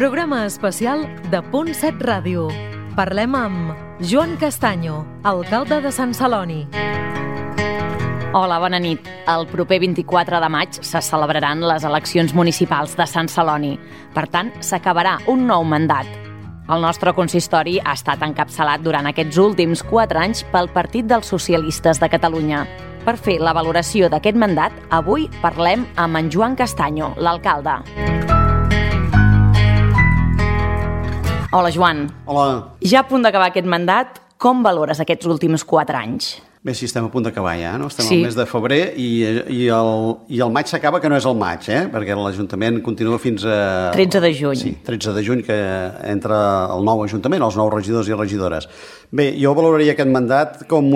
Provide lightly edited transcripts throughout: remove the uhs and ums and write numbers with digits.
Programa especial de Punt 7 Ràdio. Parlem amb Joan Castanyo, alcalde de Sant Celoni. Hola, bona nit. El proper 24 de maig se celebraran les eleccions municipals de Sant Celoni. Per tant, s'acabarà un nou mandat. El nostre consistori ha estat encapçalat durant aquests últims 4 anys pel Partit dels Socialistes de Catalunya. Per fer la valoració d'aquest mandat, avui parlem amb en Joan Castanyo, l'alcalde. Hola, Joan. Hola. Ja a punt d'acabar aquest mandat, com valores aquests últims 4 anys? Bé, sí, estem a punt d'acabar ja, no? Estem Sí. al mes de febrer i el maig s'acaba, que no és el maig, perquè l'Ajuntament continua fins a... 13 de juny. Sí, 13 de juny, que entra el nou Ajuntament, els nous regidors i regidores. Bé, jo valoraria aquest mandat com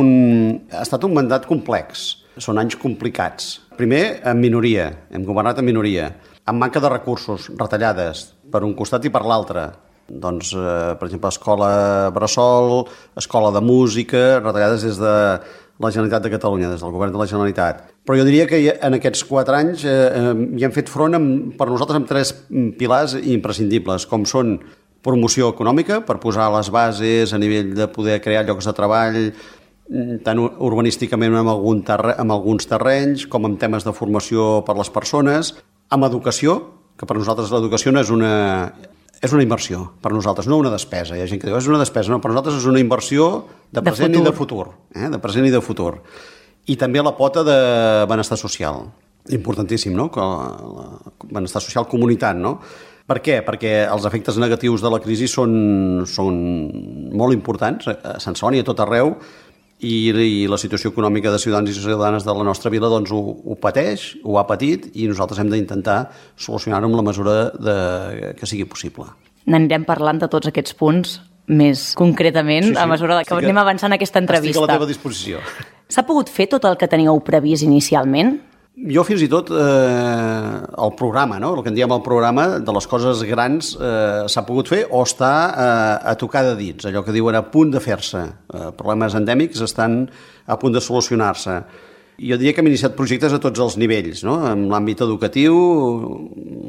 ha estat un mandat complex. Són anys complicats. Primer, en minoria. Hem governat en minoria. Amb manca de recursos, retallades, per un costat i per l'altre. Doncs, per exemple, escola bressol, escola de música, retallades des de la Generalitat de Catalunya, des del govern de la Generalitat. Però jo diria que en aquests 4 anys hi hem fet front per nosaltres amb 3 pilars imprescindibles, com són promoció econòmica, per posar les bases a nivell de poder crear llocs de treball, tant urbanísticament amb alguns terrenys, com en temes de formació per les persones, amb educació, que per nosaltres l'educació no és una inversió, per nosaltres, no una despesa. Hi ha gent que diu, és una despesa. No, per nosaltres és una inversió de present i de futur. De present i de futur. I també la pota de benestar social. Importantíssim, no? Benestar social comunitat, no? Per què? Perquè els efectes negatius de la crisi són molt importants a Sant Celoni, a tot arreu, i la situació econòmica de ciutadans i ciutadanes de la nostra vila doncs, ho pateix, ho ha patit, i nosaltres hem d'intentar solucionar-ho amb la mesura que sigui possible. N'anirem parlant de tots aquests punts més concretament a mesura que anem avançant aquesta entrevista. Estic a la teva disposició. S'ha pogut fer tot el que teníeu previst inicialment? Jo fins i tot el programa, no? El que en diem el programa de les coses grans s'ha pogut fer o està a tocar de dits, allò que diuen a punt de fer-se. Problemes endèmics estan a punt de solucionar-se. Jo diria que hem iniciat projectes a tots els nivells, no? En l'àmbit educatiu,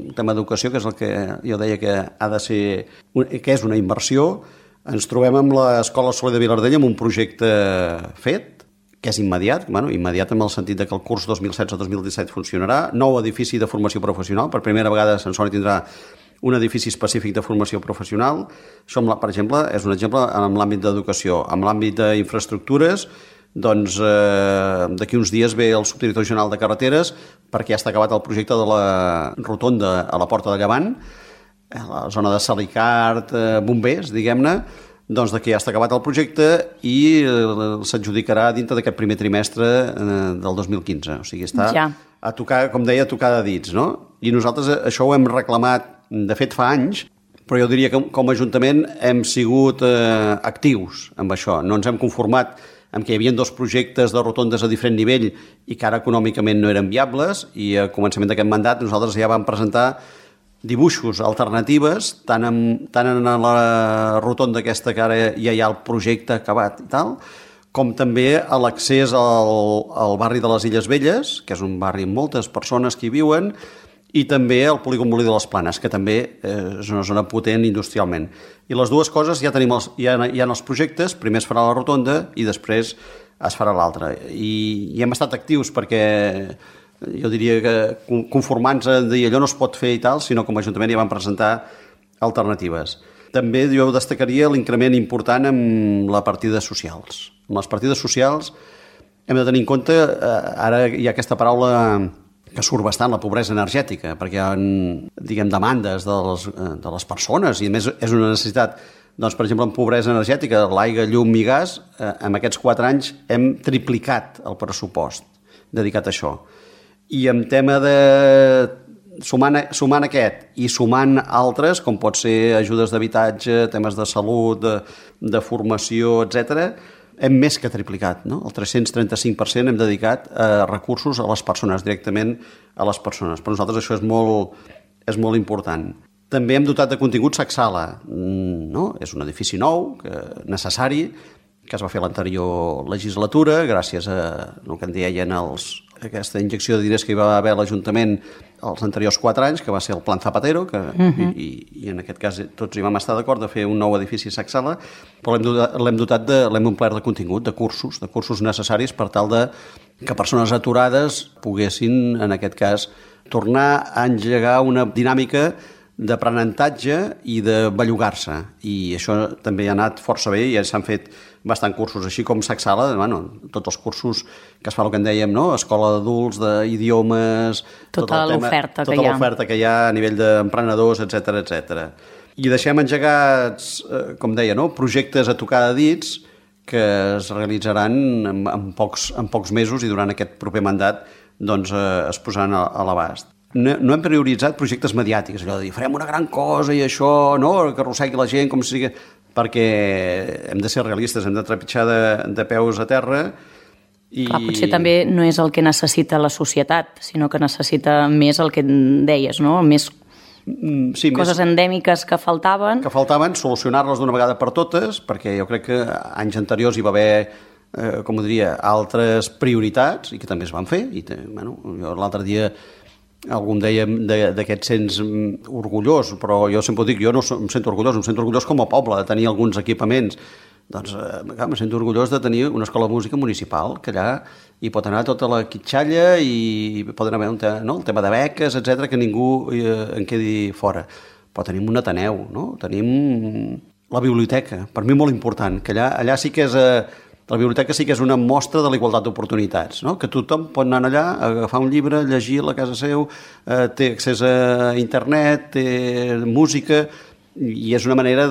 el tema d'educació, que és el que jo deia que ha de ser, que és una inversió. Ens trobem amb l'Escola Soler de Vilardell amb un projecte fet, que és immediat, immediat en el sentit que el curs 2016-2017 funcionarà, nou edifici de formació professional, per primera vegada Sant Celoni tindrà un edifici específic de formació professional. Això, per exemple, és un exemple en l'àmbit d'educació. En l'àmbit d'infraestructures, doncs d'aquí uns dies ve el subdirector general de carreteres perquè ja està acabat el projecte de la rotonda a la Porta de Llevant, a la zona de Salicart, bombers, diguem-ne, doncs que ja està acabat el projecte i s'adjudicarà dintre d'aquest primer trimestre del 2015. O sigui, està a tocar, com deia, a tocar de dits, no? I nosaltres això ho hem reclamat, de fet, fa anys, però jo diria que com a Ajuntament hem sigut actius amb això. No ens hem conformat amb que hi havia 2 projectes de rotondes a diferent nivell i que ara econòmicament no eren viables, i a començament d'aquest mandat nosaltres ja vam presentar dibuixos, alternatives, tant en la rotonda aquesta que ara ja hi ha el projecte acabat i tal, com també a l'accés al barri de les Illes Velles, que és un barri amb moltes persones que hi viuen, i també al polígon Molí de les Planes, que també és una zona potent industrialment. I les dues coses ja hi ha els projectes, primer es farà la rotonda i després es farà l'altra. I hem estat actius perquè jo diria que conformant-se de dir allò no es pot fer i tal, sinó com a Ajuntament ja vam presentar alternatives. També jo destacaria l'increment important en les partides socials. En les partides socials hem de tenir en compte, ara hi ha aquesta paraula que surt bastant, la pobresa energètica, perquè hi ha, diguem, demandes de les persones, i a més és una necessitat. Doncs, per exemple, en pobresa energètica, l'aigua, llum i gas, en aquests 4 anys hem triplicat el pressupost dedicat a això. I en tema de... Sumant aquest i sumant altres, com pot ser ajudes d'habitatge, temes de salut, de formació, etc., hem més que triplicat, no? El 335% hem dedicat recursos a les persones, directament a les persones. Per nosaltres això és molt important. També hem dotat de contingut Sacsala, no? És un edifici nou, necessari, que es va fer l'anterior legislatura, gràcies a el que en deien aquesta injecció de diners que hi va haver a l'Ajuntament els anteriors 4 anys, que va ser el Plan Zapatero, que, i en aquest cas tots hi vam estar d'acord de fer un nou edifici a Sacsala, però l'hem omplert de contingut, de cursos necessaris per tal de que persones aturades poguessin, en aquest cas, tornar a engegar una dinàmica d'aprenentatge i de bellugar-se. I això també ha anat força bé i ja s'han fet bastant cursos, així com Sacsala, tots els cursos que es fa el que en dèiem, no? Escola d'adults, d'idiomes... Tota l'oferta que hi ha. Tota l'oferta que hi ha a nivell d'emprenedors, etc. I deixem engegats, com deia, no? Projectes a tocar de dits que es realitzaran en pocs mesos i durant aquest proper mandat doncs, es posaran a l'abast. No hem prioritzat projectes mediàtics, allò de dir, farem una gran cosa i això, no? Que arrossegui la gent com si sigui... perquè hem de ser realistes, hem de trepitjar de peus a terra i... Clar, potser també no és el que necessita la societat, sinó que necessita més el que deies, no? Més coses endèmiques que faltaven. Que faltaven, solucionar-les d'una vegada per totes, perquè jo crec que anys anteriors hi va haver, com ho diria, altres prioritats i que també es van fer. I, jo l'altre dia algú em deia d'aquest sents orgullós, però jo sempre ho dic, jo no em sento orgullós com a poble de tenir alguns equipaments. Doncs em sento orgullós de tenir una escola de música municipal, que allà hi pot anar tota la quitxalla i poden haver el tema de beques, etc, que ningú en quedi fora. Però tenim un Ateneu, no? Tenim la biblioteca, per mi molt important, que allà sí que és... La biblioteca sí que és una mostra de la igualtat d'oportunitats, no? Que tothom pot anar allà, agafar un llibre, llegir-lo a casa seu, té accés a internet, té música, i és una manera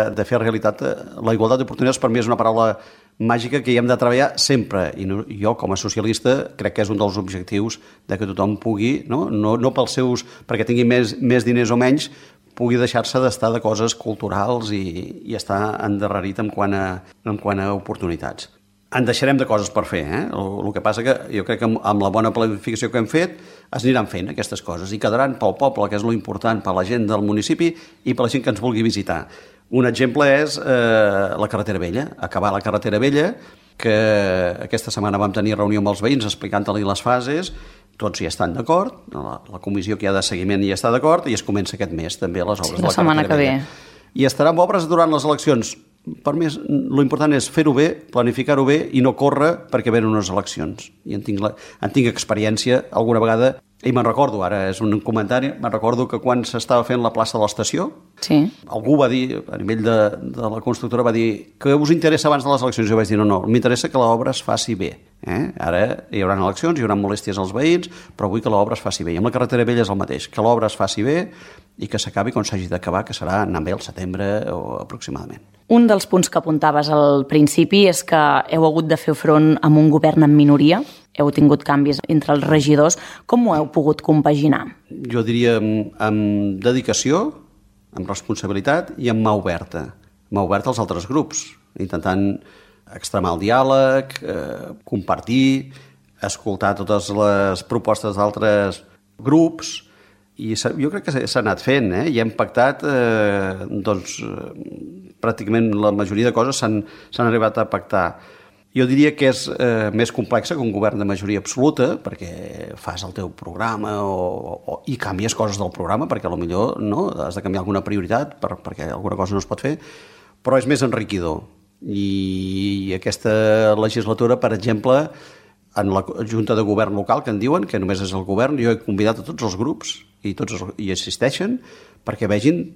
de fer realitat la igualtat d'oportunitats. Per mi és una paraula màgica que hi hem de treballar sempre, i jo com a socialista crec que és un dels objectius de que tothom pugui, no pels seus, perquè tingui més diners o menys, pugui deixar-se d'estar de coses culturals i estar endarrerit en quant a oportunitats. En deixarem de coses per fer, El que passa que jo crec que amb la bona planificació que hem fet es aniran fent aquestes coses i quedaran pel poble, que és lo important, per la gent del municipi i per la gent que ens vulgui visitar. Un exemple és la carretera vella, acabar la carretera vella, que aquesta setmana vam tenir reunió amb els veïns explicant-li les fases. Tots hi estan d'acord, la comissió que hi ha de seguiment hi està d'acord i es comença aquest mes també les obres de la setmana que ve. I estaran obres durant les eleccions. Per mi l'important és fer-ho bé, planificar-ho bé i no córrer perquè venen unes eleccions. I en tinc experiència alguna vegada, i me'n recordo, ara és un comentari, me'n recordo que quan s'estava fent la plaça de l'estació, algú va dir, a nivell de la constructora, va dir que us interessa abans de les eleccions. Jo vaig dir, no, m'interessa que l'obra es faci bé. Ara hi haurà eleccions, hi haurà molèsties als veïns, però vull que l'obra es faci bé. I amb la carretera vella és el mateix, que l'obra es faci bé i que s'acabi quan s'hagi d'acabar, que serà anant bé al setembre o aproximadament. Un dels punts que apuntaves al principi és que heu hagut de fer front amb un govern en minoria, heu tingut canvis entre els regidors. Com ho heu pogut compaginar? Jo diria amb dedicació, amb responsabilitat i amb mà oberta. Mà oberta als altres grups, intentant extremar el diàleg, compartir, escoltar totes les propostes d'altres grups, i jo crec que s'ha anat fent, i hem pactat, pràcticament la majoria de coses s'han arribat a pactar. Jo diria que és més complexa que un govern de majoria absoluta, perquè fas el teu programa i canvies coses del programa, perquè potser no, has de canviar alguna prioritat perquè alguna cosa no es pot fer, però és més enriquidor. I aquesta legislatura, per exemple, en la Junta de Govern local, que en diuen, que només és el govern, jo he convidat a tots els grups i tots hi assisteixen perquè vegin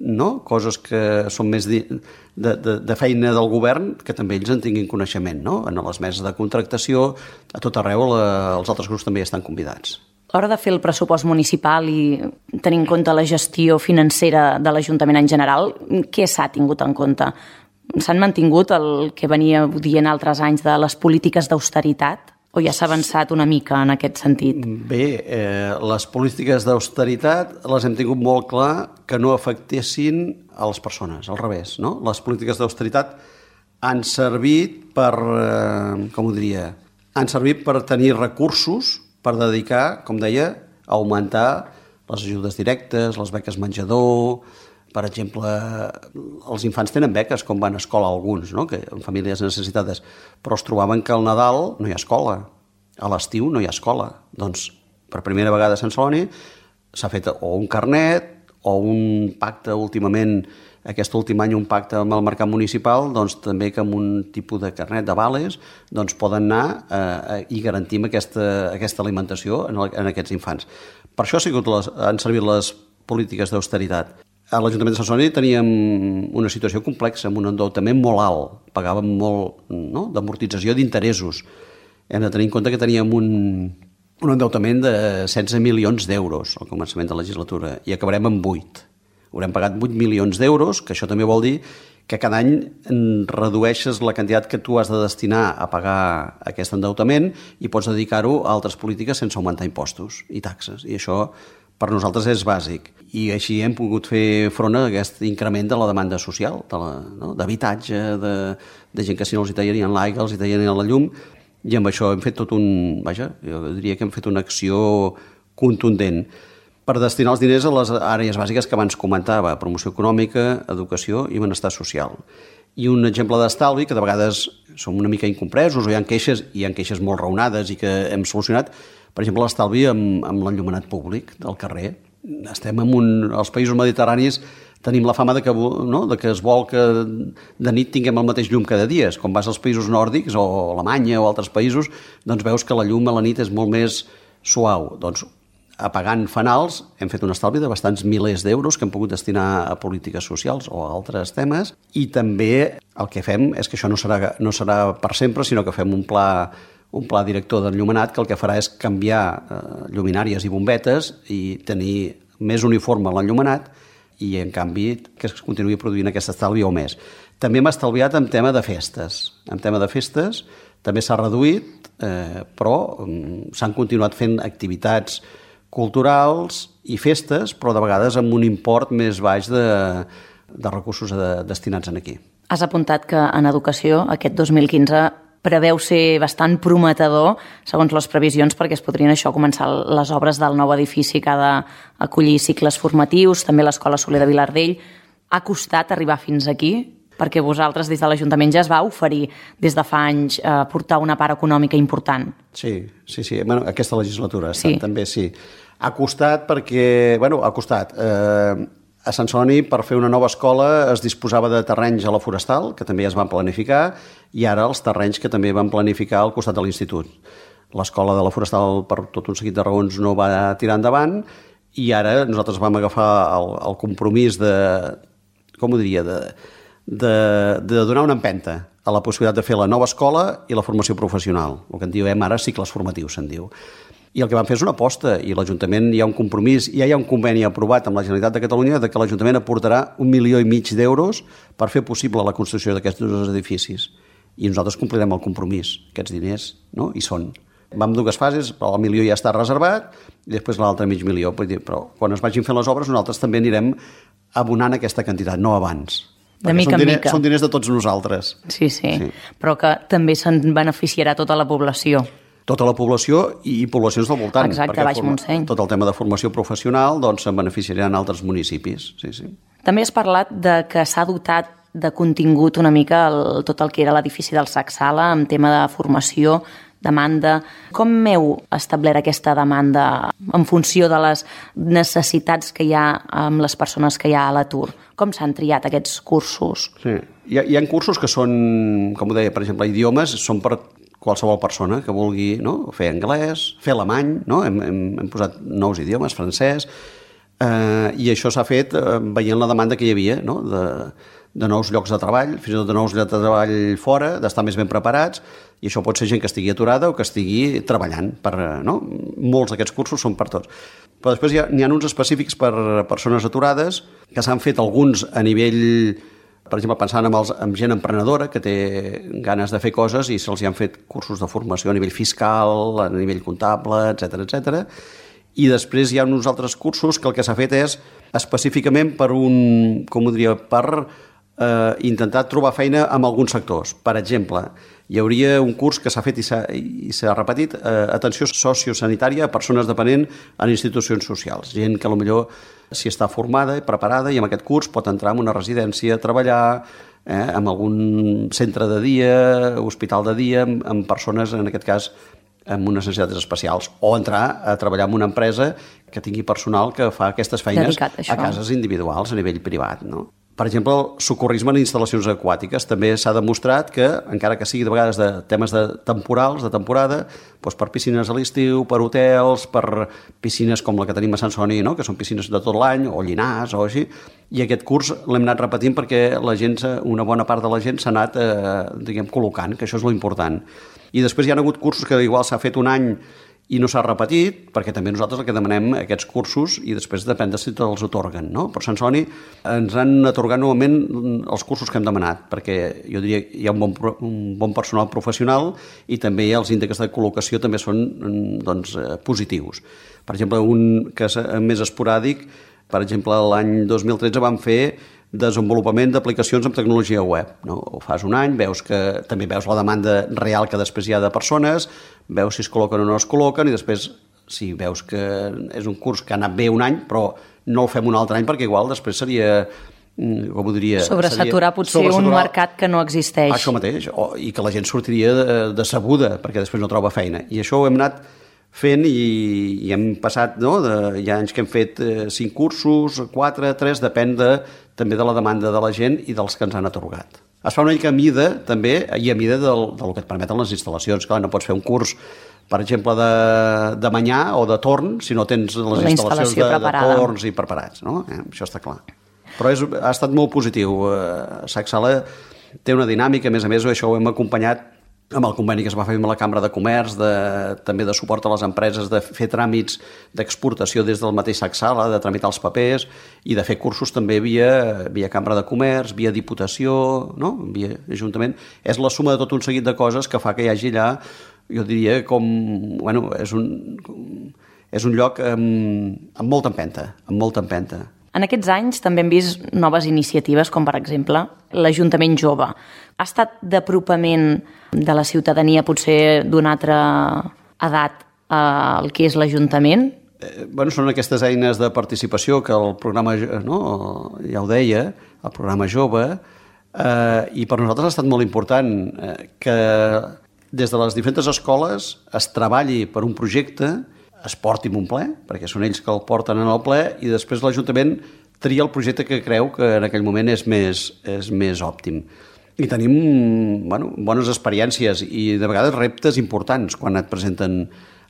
coses que són més de feina del govern, que també ells en tinguin coneixement. En les meses de contractació, a tot arreu, els altres grups també estan convidats. A l'hora de fer el pressupost municipal i tenir en compte la gestió financera de l'Ajuntament en general, què s'ha tingut en compte? S'han mantingut el que venia dient altres anys de les polítiques d'austeritat? O ja s'ha avançat una mica en aquest sentit? Bé, les polítiques d'austeritat les hem tingut molt clar que no afectessin a les persones, al revés. Les polítiques d'austeritat han servit per, han servit per tenir recursos per dedicar, com deia, a augmentar les ajudes directes, les beques menjador. Per exemple, els infants tenen beques, com van a escola alguns, que en famílies necessitades, però es trobaven que al Nadal no hi ha escola, a l'estiu no hi ha escola. Doncs, per primera vegada a Sant Celoni, s'ha fet o un carnet o un pacte últimament, aquest últim any un pacte amb el mercat municipal, doncs també que amb un tipus de carnet de vales doncs poden anar i garantim aquesta alimentació en aquests infants. Per això han servit les polítiques d'austeritat. A l'Ajuntament de Sant Celoni teníem una situació complexa, amb un endeutament molt alt, pagàvem molt d'amortització d'interessos. Hem de tenir en compte que teníem un endeutament de 16 milions d'euros al començament de la legislatura i acabarem amb 8. Haurem pagat 8 milions d'euros, que això també vol dir que cada any redueixes la quantitat que tu has de destinar a pagar aquest endeutament i pots dedicar-ho a altres polítiques sense augmentar impostos i taxes. I això per nosaltres és bàsic. I així hem pogut fer front a aquest increment de la demanda social, d'habitatge, de gent que si no els hi tallarien l'aigua, els hi tallarien la llum, i amb això hem fet jo diria que hem fet una acció contundent per destinar els diners a les àrees bàsiques que abans comentava, promoció econòmica, educació i benestar social. I un exemple d'estalvi, que de vegades som una mica incompresos o hi ha queixes molt raonades i que hem solucionat, per exemple, l'estalvi amb l'enllumenat públic del carrer. Estem als països mediterranis tenim la fama de que es vol que de nit tinguem el mateix llum cada dia. Quan vas als països nòrdics o Alemanya o altres països, doncs veus que la llum a la nit és molt més suau. Doncs apagant fanals hem fet un estalvi de bastants milers d'euros que hem pogut destinar a polítiques socials o a altres temes, i també el que fem és que això no serà per sempre, sinó que fem un pla director d'enllumenat que el que farà és canviar lluminàries i bombetes i tenir més uniforme l'enllumenat i, en canvi, que es continuï produint aquest estalvi o més. També hem estalviat en tema de festes. En tema de festes també s'ha reduït, però s'han continuat fent activitats culturals i festes, però de vegades amb un import més baix de recursos destinats aquí. Has apuntat que en educació aquest 2015 preveu ser bastant prometedor, segons les previsions, perquè es podrien començar les obres del nou edifici que ha d'acollir cicles formatius, també l'Escola Soler de Vilardell. Ha costat arribar fins aquí? Perquè vosaltres des de l'Ajuntament ja es va oferir des de fa anys portar una part econòmica important. Sí. Bueno, aquesta legislatura també sí. Ha costat perquè... ha costat. A Sant Celoni, per fer una nova escola, es disposava de terrenys a la Forestal, que també es van planificar, i ara els terrenys que també van planificar al costat de l'institut. L'escola de la Forestal, per tot un seguit de raons, no va tirar endavant, i ara nosaltres vam agafar el compromís de donar una empenta a la possibilitat de fer la nova escola i la formació professional, el que en diem ara cicles formatius, se'n diu. I el que vam fer és una aposta, i l'Ajuntament hi ha un compromís, ja hi ha un conveni aprovat amb la Generalitat de Catalunya de que l'Ajuntament aportarà 1,5 milions d'euros per fer possible la construcció d'aquests dos edificis. I nosaltres complirem el compromís. Aquests diners hi són. Vam dues fases, però el milió ja està reservat i després l'altre mig milió. Però quan es vagin fent les obres nosaltres també anirem abonant aquesta quantitat, no abans. De mica en mica. Són diners de tots nosaltres. Sí. Però que també se'n beneficiarà tota la població. Tota la població i poblacions del voltant. Exacte, Baix Montseny. Tot el tema de formació professional se'n beneficiaran altres municipis. Sí. També has parlat de que s'ha dotat de contingut una mica tot el que era l'edifici del SAC Sala en tema de formació, demanda. Com heu establert aquesta demanda en funció de les necessitats que hi ha amb les persones que hi ha a l'atur? Com s'han triat aquests cursos? Sí. Hi ha cursos que són, com ho deia, per exemple, idiomes, són per qualsevol persona que vulgui fer anglès, fer alemany, hem posat nous idiomes, francès, i això s'ha fet veient la demanda que hi havia de nous llocs de treball, fins i tot de nous llocs de treball fora, d'estar més ben preparats, i això pot ser gent que estigui aturada o que estigui treballant. Molts d'aquests cursos són per tots. Però després n'hi ha uns específics per persones aturades, que s'han fet alguns a nivell, per exemple, pensant en gent emprenedora que té ganes de fer coses i se'ls han fet cursos de formació a nivell fiscal, a nivell comptable, etc. I després hi ha uns altres cursos que el que s'ha fet és específicament per intentar trobar feina en alguns sectors. Per exemple, hi hauria un curs que s'ha fet i s'ha repetit, atenció sociosanitària a persones dependents en institucions socials. Gent que potser si està formada i preparada i amb aquest curs pot entrar en una residència, treballar en algun centre de dia, hospital de dia, amb persones, en aquest cas, amb unes necessitats especials, o entrar a treballar en una empresa que tingui personal que fa aquestes feines a cases individuals a nivell privat, no? Per exemple, el socorrisme en instal·lacions aquàtiques també s'ha demostrat que, encara que sigui de vegades de temes temporals, de temporada, doncs per piscines a l'estiu, per hotels, per piscines com la que tenim a Sant Celoni, no? Que són piscines de tot l'any, o Llinars, o així, i aquest curs l'hem anat repetint perquè la gent, una bona part de la gent s'ha anat, col·locant, que això és l'important. I després hi ha hagut cursos que igual s'ha fet un any i no s'ha repetit, perquè també nosaltres el que demanem aquests cursos i després depèn de si te'ls atorguen, no? Per Sant Celoni ens han atorgat novament els cursos que hem demanat, perquè jo diria que hi ha un bon personal professional i també els índexs de col·locació també són positius. Per exemple, un que és més esporàdic, per exemple, l'any 2013 vam fer desenvolupament d'aplicacions amb tecnologia web, no? Ho fas un any, també veus la demanda real que després hi ha de persones, veus si es col·loquen o no es col·loquen i després si veus que és un curs que ha anat bé un any però no el fem un altre any perquè igual després seria, com ho diria... Sobresaturar potser un mercat que no existeix. Això mateix, i que la gent sortiria decebuda perquè després no troba feina. I això ho hem anat fent i hem passat, no? Hi ha anys que hem fet 5 cursos, 4, 3, depèn també de la demanda de la gent i dels que ens han atorgat. Es fa una mica a mida, també, i a mida del que et permeten les instal·lacions. Clar, no pots fer un curs, per exemple, de manyà o de torn si no tens les instal·lacions de torns i preparats, no? Això està clar. Però ha estat molt positiu. Sac Sala té una dinàmica, a més, això ho hem acompanyat amb el conveni que es va fer amb la Cambra de Comerç, també de suport a les empreses, de fer tràmits d'exportació des del mateix Sac Sala, de tramitar els papers i de fer cursos també via Cambra de Comerç, via Diputació, no? Via Ajuntament. És la suma de tot un seguit de coses que fa que hi hagi allà, jo diria, és un lloc amb molta empenta, En aquests anys també hem vist noves iniciatives, com per exemple l'Ajuntament Jove. Ha estat d'apropament de la ciutadania potser d'una altra edat al que és l'Ajuntament? Són aquestes eines de participació que el programa, ja ho deia, el programa Jove, i per nosaltres ha estat molt important que des de les diferents escoles es treballi per un projecte, es porti en un ple, perquè són ells que el porten en el ple, i després l'Ajuntament tria el projecte que creu que en aquell moment és més òptim. I tenim bones experiències i de vegades reptes importants quan et presenten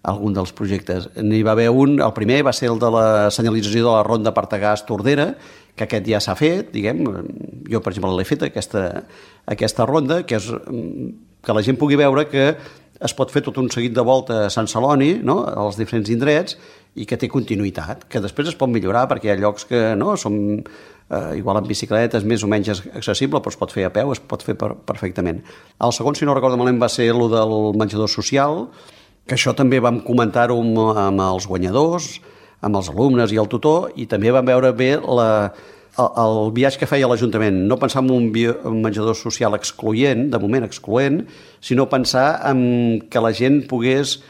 algun dels projectes. N'hi va haver el primer va ser el de la senyalització de la ronda Partagàs-Tordera, que aquest ja s'ha fet, jo per exemple l'he fet, aquesta ronda, que és que la gent pugui veure que es pot fer tot un seguit de volta a Sant Celoni, no?, als diferents indrets, i que té continuïtat, que després es pot millorar perquè hi ha llocs que són igual amb bicicletes, més o menys accessible, però es pot fer a peu, es pot fer perfectament. El segon, si no recordo malament, va ser el del menjador social, que això també vam comentar-ho amb els guanyadors, amb els alumnes i el tutor, i també vam veure bé el viatge que feia l'Ajuntament, no pensar en un menjador social excloent, de moment excloent, sinó pensar en que la gent pogués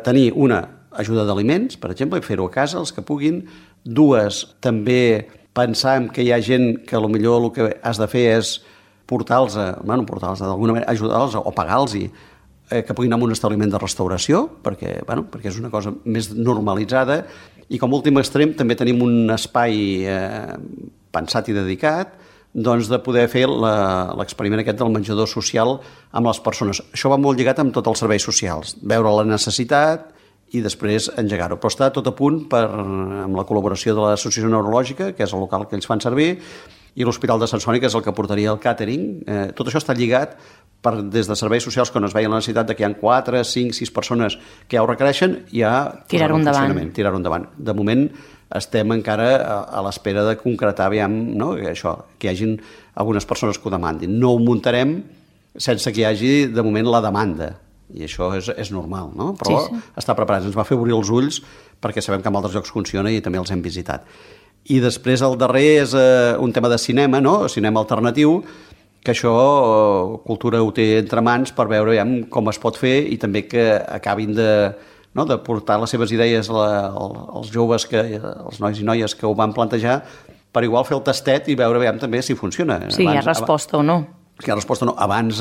tenir una ajuda d'aliments, per exemple, i fer-ho a casa, els que puguin. 2, també pensar en que hi ha gent que potser el que has de fer és portar-los, d'alguna manera, ajudar-los o pagar-los que puguin anar a un establiment de restauració, perquè és una cosa més normalitzada, i com a últim extrem també tenim un espai pensat i dedicat de poder fer l'experiment aquest del menjador social amb les persones. Això va molt lligat amb tots els serveis socials, veure la necessitat i després engegar-ho. Però està tot a punt amb la col·laboració de l'Associació Neurològica, que és el local que ells fan servir, i l'Hospital de Sant Celoni, que és el que portaria el càtering. Tot això està lligat des de serveis socials, quan es veia la necessitat que hi ha 4, 5, 6 persones que ja ho requereixen, ja tirar-ho endavant. De moment estem encara a l'espera de concretar que hi hagin algunes persones que ho demandin. No ho muntarem sense que hi hagi de moment la demanda, i això és normal, no? Però sí. Està preparat. Ens va fer obrir els ulls perquè sabem que en altres llocs funciona i també els hem visitat. I després el darrer és un tema de cinema, no? Cinema alternatiu, que això Cultura ho té entre mans per veure com es pot fer i també que acabin de portar les seves idees als joves, els nois i noies que ho van plantejar, per igual fer el tastet i veure també si funciona. Sí, hi ha resposta o no. Si hi ha resposta o no. Abans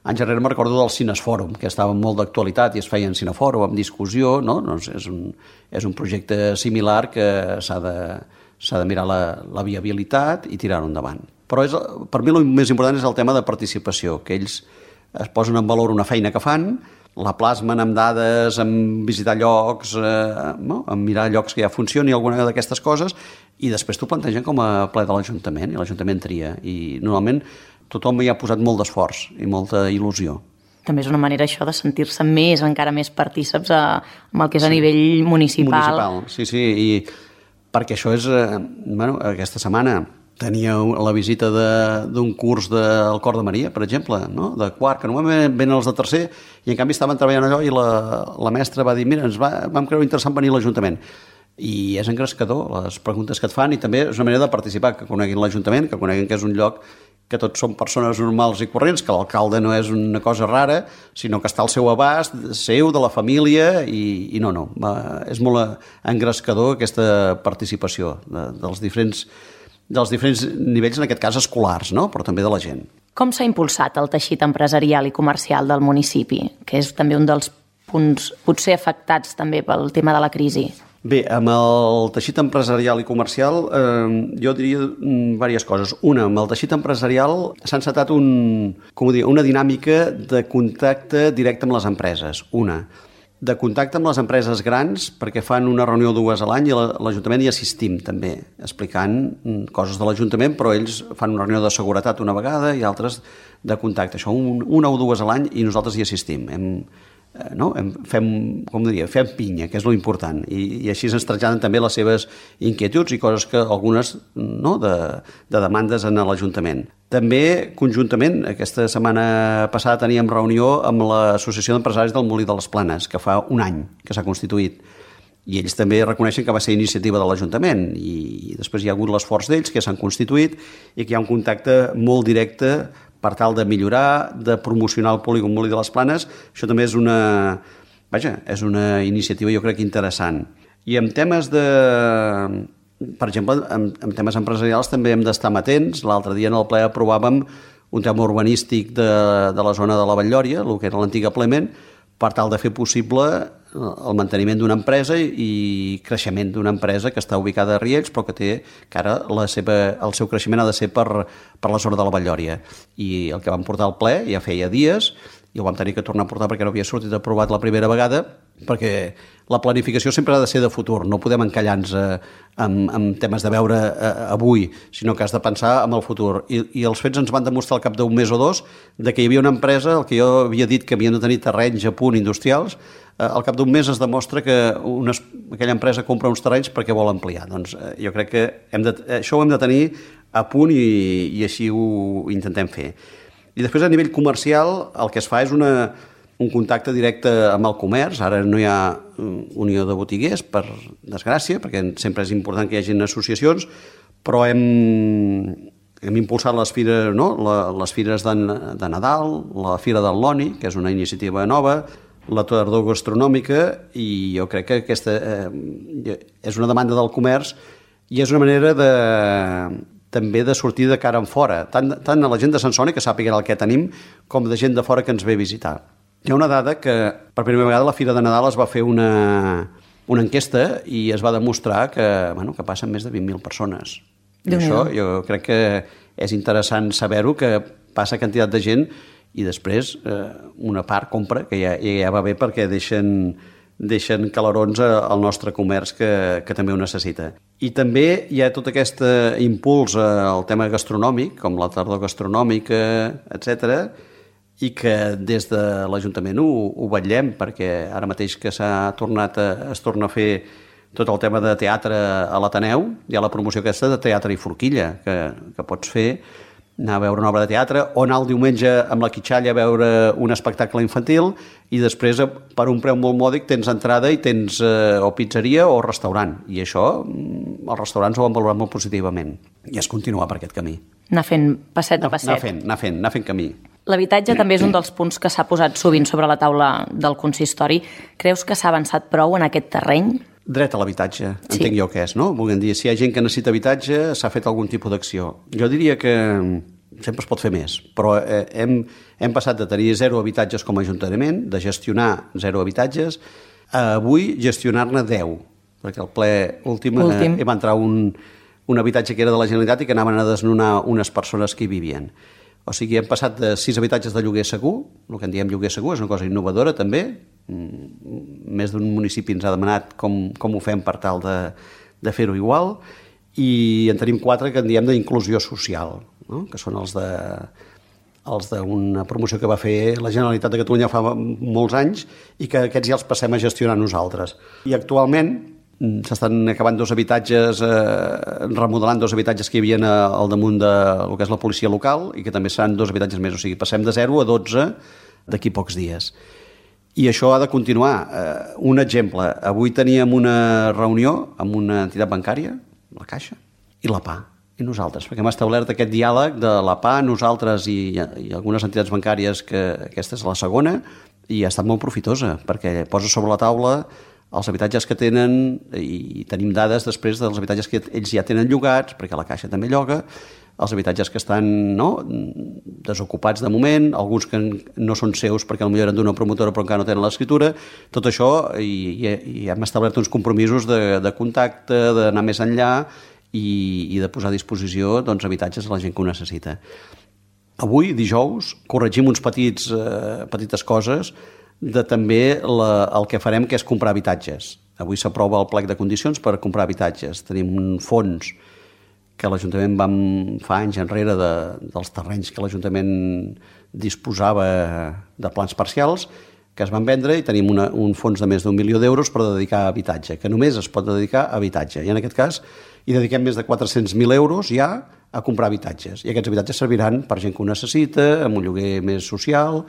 anys enrere me'n recordo del Cinefòrum, que estava molt d'actualitat i es feia en Cinefòrum, amb discussió, no? Doncs és un projecte similar que s'ha de mirar la viabilitat i tirar-ho endavant. Però per mi el més important és el tema de participació, que ells es posen en valor una feina que fan, la plasmen amb dades, amb visitar llocs, amb mirar llocs que ja funcioni, alguna d'aquestes coses, i després t'ho plantegen com a ple de l'Ajuntament, i l'Ajuntament tria. I normalment tothom hi ha posat molt d'esforç i molta il·lusió. També és una manera això de sentir-se encara més partíceps amb el que és a nivell municipal. Sí, i perquè això és... aquesta setmana tenia la visita d'un curs del Cor de Maria, per exemple, no? De quart, que normalment venen els de tercer, i en canvi estaven treballant allò i la mestra va dir, mira, vam creure interessant venir a l'Ajuntament. I és engrescador les preguntes que et fan, i també és una manera de participar, que coneguin l'Ajuntament, que coneguin que és un lloc que tots són persones normals i corrents, que l'alcalde no és una cosa rara, sinó que està al seu abast, seu, de la família, i és molt engrescador aquesta participació dels diferents nivells, en aquest cas escolars, no? Però també de la gent. Com s'ha impulsat el teixit empresarial i comercial del municipi, que és també un dels punts potser afectats també pel tema de la crisi? Bé, amb el teixit empresarial i comercial jo diria diverses coses. Una, amb el teixit empresarial s'ha encetat una dinàmica de contacte directe amb les empreses. De contacte amb les empreses grans, perquè fan una reunió 2 a l'any i l'Ajuntament hi assistim també, explicant coses de l'Ajuntament, però ells fan una reunió de seguretat una vegada i altres de contacte. Això una o 2 a l'any i nosaltres hi assistim. Fem pinya, que és lo important, i així ens traslladen també les seves inquietuds i coses que algunes de demandes en l'Ajuntament. També, conjuntament, aquesta setmana passada teníem reunió amb l'Associació d'Empresaris del Molí de les Planes, que fa un any que s'ha constituït, i ells també reconeixen que va ser iniciativa de l'Ajuntament, i després hi ha hagut l'esforç d'ells, que s'han constituït, i que hi ha un contacte molt directe per tal de millorar, de promocionar el polígon Molí de les Planes. Això també és una iniciativa, jo crec, interessant. I en temes per exemple, en temes empresarials també hem d'estar amatents. L'altre dia en el ple aprovàvem un tema urbanístic de la zona de la Vall-lloria, el que era l'antiga Plement, per tal de fer possible el manteniment d'una empresa i creixement d'una empresa que està ubicada a Riells, però que ara el seu creixement ha de ser per la zona de la Vall-lloria. I el que vam portar al ple ja feia dies, i ho vam tenir que tornar a portar perquè no havia sortit aprovat la primera vegada, perquè la planificació sempre ha de ser de futur, no podem encallar-nos amb temes de veure avui, sinó que has de pensar en el futur. I els fets ens van demostrar al cap d'un mes o dos de que hi havia una empresa, el que jo havia dit que havien de tenir terrenys a punt industrials, al cap d'un mes es demostra que aquella empresa compra uns terrenys perquè vol ampliar. Doncs jo crec que això ho hem de tenir a punt i així ho intentem fer. I després a nivell comercial el que es fa és un contacte directe amb el comerç. Ara no hi ha unió de botiguers, per desgràcia, perquè sempre és important que hi hagin associacions, però hem impulsat les fires, les fires de Nadal, la Fira del Loni, que és una iniciativa nova, la tardor gastronòmica, i jo crec que aquesta és una demanda del comerç i és una manera també de sortir de cara en fora, tant a la gent de Sansone, que sàpiga el que tenim, com de gent de fora que ens ve a visitar. Hi ha una dada que per primera vegada a la Fira de Nadal es va fer una enquesta i es va demostrar que passen més de 20.000 persones. I això jo crec que és interessant saber-ho, que passa quantitat de gent i després una part compra, que ja va bé perquè deixen calarons al nostre comerç que també ho necessita. I també hi ha tot aquest impuls al tema gastronòmic, com la tardor gastronòmica, etc., i que des de l'Ajuntament ho vetllem, perquè ara mateix que es torna a fer tot el tema de teatre a l'Ateneu, hi ha la promoció aquesta de teatre i forquilla, que pots fer, anar a veure una obra de teatre, o anar el diumenge amb la Quitxalla a veure un espectacle infantil, i després, per un preu molt mòdic, tens entrada i tens o pizzeria o restaurant. I això, els restaurants ho han valorat molt positivament. I es continua per aquest camí. Anar fent passet a passet. Anar fent camí. L'habitatge també és un dels punts que s'ha posat sovint sobre la taula del consistori. Creus que s'ha avançat prou en aquest terreny? Dret a l'habitatge, entenc jo que és, no? Volguem dir, si hi ha gent que necessita habitatge, s'ha fet algun tipus d'acció. Jo diria que sempre es pot fer més, però hem passat de tenir 0 habitatges com a ajuntament, de gestionar 0 habitatges, a avui gestionar-ne 10, perquè al ple últim va entrar un habitatge que era de la Generalitat i que anaven a desnonar unes persones que hi vivien. O sigui, hem passat de 6 habitatges de lloguer segur, el que en diem lloguer segur, és una cosa innovadora també, més d'un municipi ens ha demanat com ho fem per tal de fer-ho igual, i en tenim 4 que en diem d'inclusió social, no? Que són els d'una promoció que va fer la Generalitat de Catalunya fa molts anys i que aquests ja els passem a gestionar nosaltres. I actualment s'estan acabant 2 habitatges, remodelant 2 habitatges que hi havia al damunt del que és la policia local i que també seran 2 habitatges més, o sigui, passem de 0 a 12 d'aquí pocs dies. I això ha de continuar. Un exemple, avui teníem una reunió amb una entitat bancària, la Caixa, i la PA, i nosaltres, perquè hem establert aquest diàleg de la PA, nosaltres i algunes entitats bancàries, que aquesta és la segona, i ha estat molt profitosa, perquè posa sobre la taula els habitatges que tenen, i tenim dades després dels habitatges que ells ja tenen llogats, perquè la Caixa també lloga, els habitatges que estan desocupats de moment, alguns que no són seus perquè potser eren d'una promotora però encara no tenen l'escriptura, tot això, i hem establert uns compromisos de contacte, d'anar més enllà i de posar a disposició habitatges a la gent que ho necessita. Avui, dijous, corregim uns petites coses de també el que farem, que és comprar habitatges. Avui s'aprova el plec de condicions per comprar habitatges. Tenim un fons que l'Ajuntament fa anys enrere dels terrenys que l'Ajuntament disposava de plans parcials, que es van vendre, i tenim un fons de més d'1 milió d'euros per dedicar a habitatge, que només es pot dedicar a habitatge. I en aquest cas hi dediquem més de 400.000 euros ja a comprar habitatges. I aquests habitatges serviran per gent que ho necessita, amb un lloguer més social,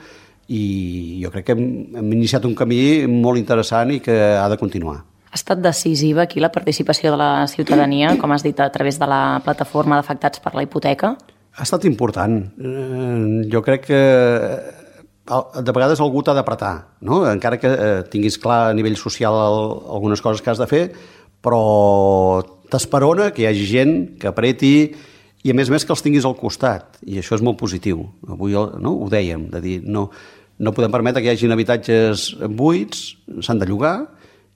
i jo crec que hem iniciat un camí molt interessant i que ha de continuar. Ha estat decisiva aquí la participació de la ciutadania, com has dit, a través de la plataforma d'afectats per la hipoteca? Ha estat important. Jo crec que de vegades algú t'ha d'apretar, no? Encara que tinguis clar a nivell social algunes coses que has de fer, però t'esperona que hi hagi gent que apreti i a més que els tinguis al costat, i això és molt positiu. Avui ho dèiem, de dir, no podem permetre que hi hagin habitatges buits, s'han de llogar,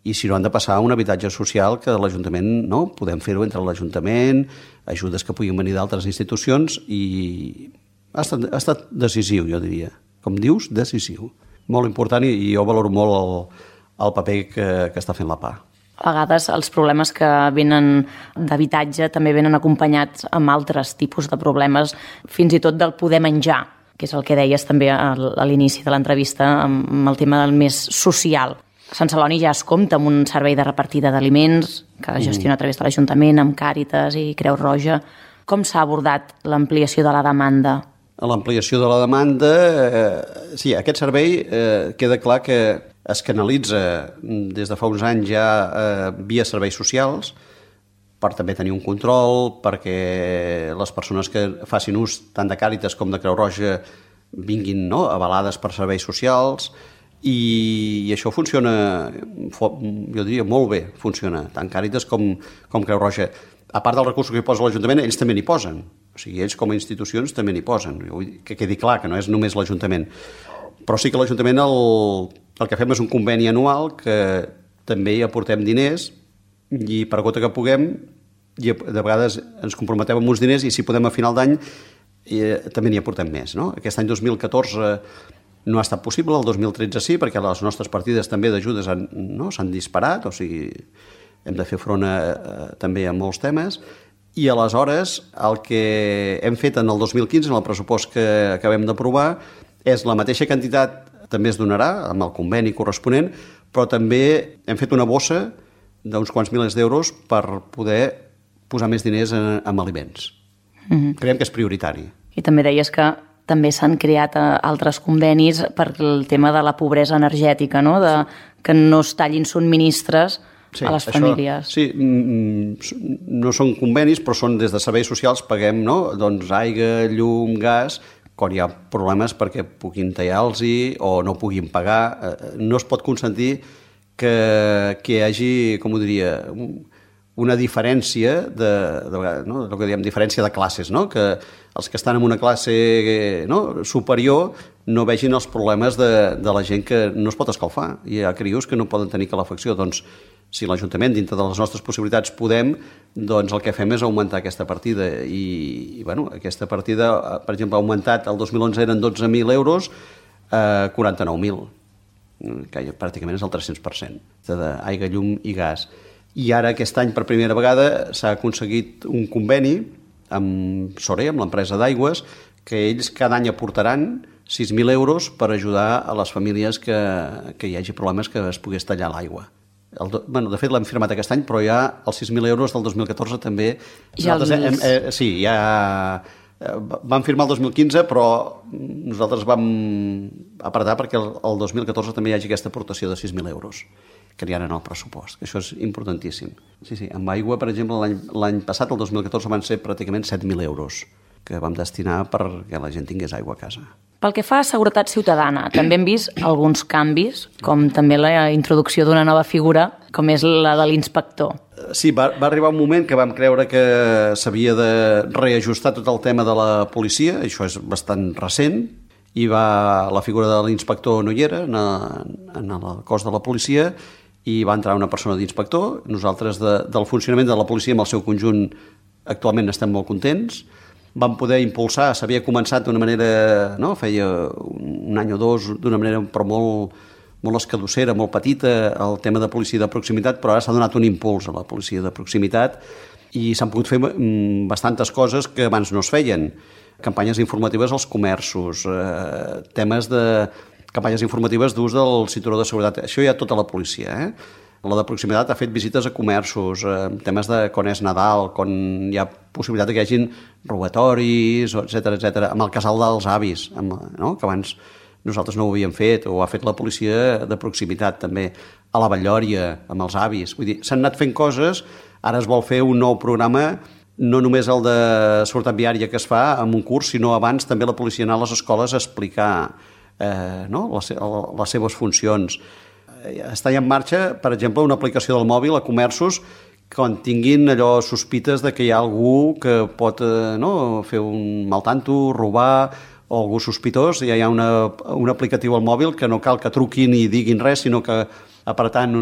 i si no han de passar a un habitatge social que l'Ajuntament, podem fer-ho entre l'Ajuntament, ajudes que puguin venir d'altres institucions, i ha estat decisiu, jo diria. Com dius, decisiu. Molt important, i jo valoro molt el paper que està fent la PA. A vegades els problemes que venen d'habitatge també venen acompanyats amb altres tipus de problemes, fins i tot del poder menjar, que és el que deies també a l'inici de l'entrevista, amb el tema del més social. Sant Celoni ja es compta amb un servei de repartida d'aliments que gestiona a través de l'Ajuntament, amb Càritas i Creu Roja. Com s'ha abordat l'ampliació de la demanda? L'ampliació de la demanda, sí, aquest servei queda clar que es canalitza des de fa uns anys ja via serveis socials, per també tenir un control, perquè les persones que facin ús tant de Càritas com de Creu Roja vinguin avalades per serveis socials, i això funciona, jo diria, molt bé, funciona, tant Càritas com Creu Roja. A part dels recursos que hi posa l'Ajuntament, ells també n'hi posen. O sigui, ells com a institucions també n'hi posen. Que quedi clar que no és només l'Ajuntament. Però sí que l'Ajuntament el que fem és un conveni anual que també hi aportem diners, i per gota que puguem, i de vegades ens comprometem amb uns diners, i si podem a final d'any també n'hi aportem més. Aquest any 2014 no ha estat possible, el 2013 sí, perquè les nostres partides també d'ajudes s'han disparat, o sigui, hem de fer front també a molts temes, i aleshores el que hem fet en el 2015, en el pressupost que acabem d'aprovar, és la mateixa quantitat també es donarà amb el conveni corresponent, però també hem fet una bossa d'uns quants milers d'euros per poder posar més diners en aliments. Creiem que és prioritari. I també deies que també s'han creat altres convenis per el tema de la pobresa energètica, que no es tallin subministres a les famílies. Sí, no són convenis, però són des de serveis socials, paguem aigua, llum, gas, quan hi ha problemes perquè puguin tallar-los o no puguin pagar. No es pot consentir que hi hagi, com ho diria, una diferència el que diem diferència de classes, no? Que els que estan en una classe superior no vegin els problemes de la gent que no es pot escalfar. Hi ha crios que no poden tenir calefacció. Doncs, si l'Ajuntament, dintre de les nostres possibilitats, podem, doncs el que fem és augmentar aquesta partida. I aquesta partida, per exemple, ha augmentat, el 2011 eren 12.000 euros, 49.000, que pràcticament és el 300% d'aigua, llum i gas. I ara, aquest any, per primera vegada, s'ha aconseguit un conveni amb Sore, amb l'empresa d'aigües, que ells cada any aportaran 6.000 euros per ajudar a les famílies que hi hagi problemes que es pogués tallar l'aigua. De fet, l'hem firmat aquest any, però ja els 6.000 euros del 2014 també... Vam firmar el 2015, però nosaltres vam apretar perquè el 2014 també hi hagi aquesta aportació de 6.000 euros, que n'hi ha en el pressupost, que això és importantíssim. Sí, amb aigua, per exemple, l'any passat, el 2014, van ser pràcticament 7.000 euros que vam destinar perquè la gent tingués aigua a casa. Pel que fa a seguretat ciutadana, també hem vist alguns canvis, com també la introducció d'una nova figura, com és la de l'inspector. Sí, va arribar un moment que vam creure que s'havia de reajustar tot el tema de la policia, això és bastant recent, i la figura de l'inspector no hi era en el cos de la policia, i va entrar una persona d'inspector. Nosaltres del funcionament de la policia amb el seu conjunt actualment estem molt contents. Vam poder impulsar, s'havia començat d'una manera, feia un any o dos, d'una manera però molt escadossera, molt petita, el tema de policia de proximitat, però ara s'ha donat un impuls a la policia de proximitat i s'han pogut fer bastantes coses que abans no es feien. Campanyes informatives als comerços, temes de campanyes informatives d'ús del cinturó de seguretat. Això hi ha tota la policia, La de proximitat ha fet visites a comerços, temes de quan és Nadal, quan hi ha possibilitat que hi hagin robatoris, etc. Amb el casal dels avis, que abans nosaltres no ho havíem fet, o ha fet la policia de proximitat també, a la Batllòria, amb els avis. Vull dir, s'han anat fent coses, ara es vol fer un nou programa, no només el de seguretat viària que es fa en un curs, sinó abans també la policia anar a les escoles a explicar les seves funcions. Està ja en marxa, per exemple, una aplicació del mòbil a comerços quan tinguin allò sospites de que hi ha algú que pot fer un mal tanto, robar, o algú sospitós. Ja hi ha un aplicatiu al mòbil que no cal que truquin i diguin res, sinó que apretant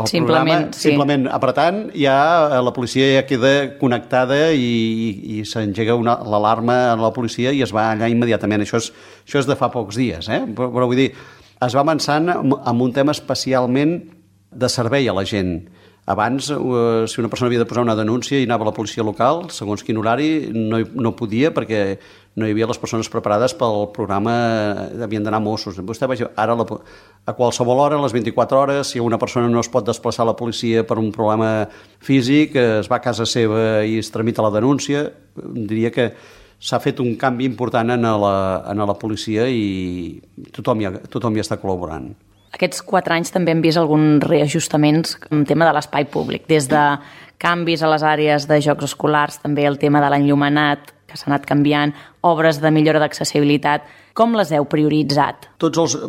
simplement apretant, ja la policia ja queda connectada i s'engega l'alarma a la policia i es va allà immediatament. Això és de fa pocs dies, però vull dir, es va avançant amb un tema especialment de servei a la gent. Abans, si una persona havia de posar una denúncia i anava a la policia local, segons quin horari, no podia perquè no hi havia les persones preparades pel programa, havien d'anar Mossos. Vostè vegi, ara a qualsevol hora, a les 24 hores, si una persona no es pot desplaçar a la policia per un problema físic, es va a casa seva i es tramita la denúncia, diria que s'ha fet un canvi important en la policia i tothom hi està col·laborant. Aquests 4 anys també hem vist alguns reajustaments en el tema de l'espai públic, des de canvis a les àrees de jocs escolars, també el tema de l'enllumenat, que s'ha anat canviant, obres de millora d'accessibilitat. Com les heu prioritzat?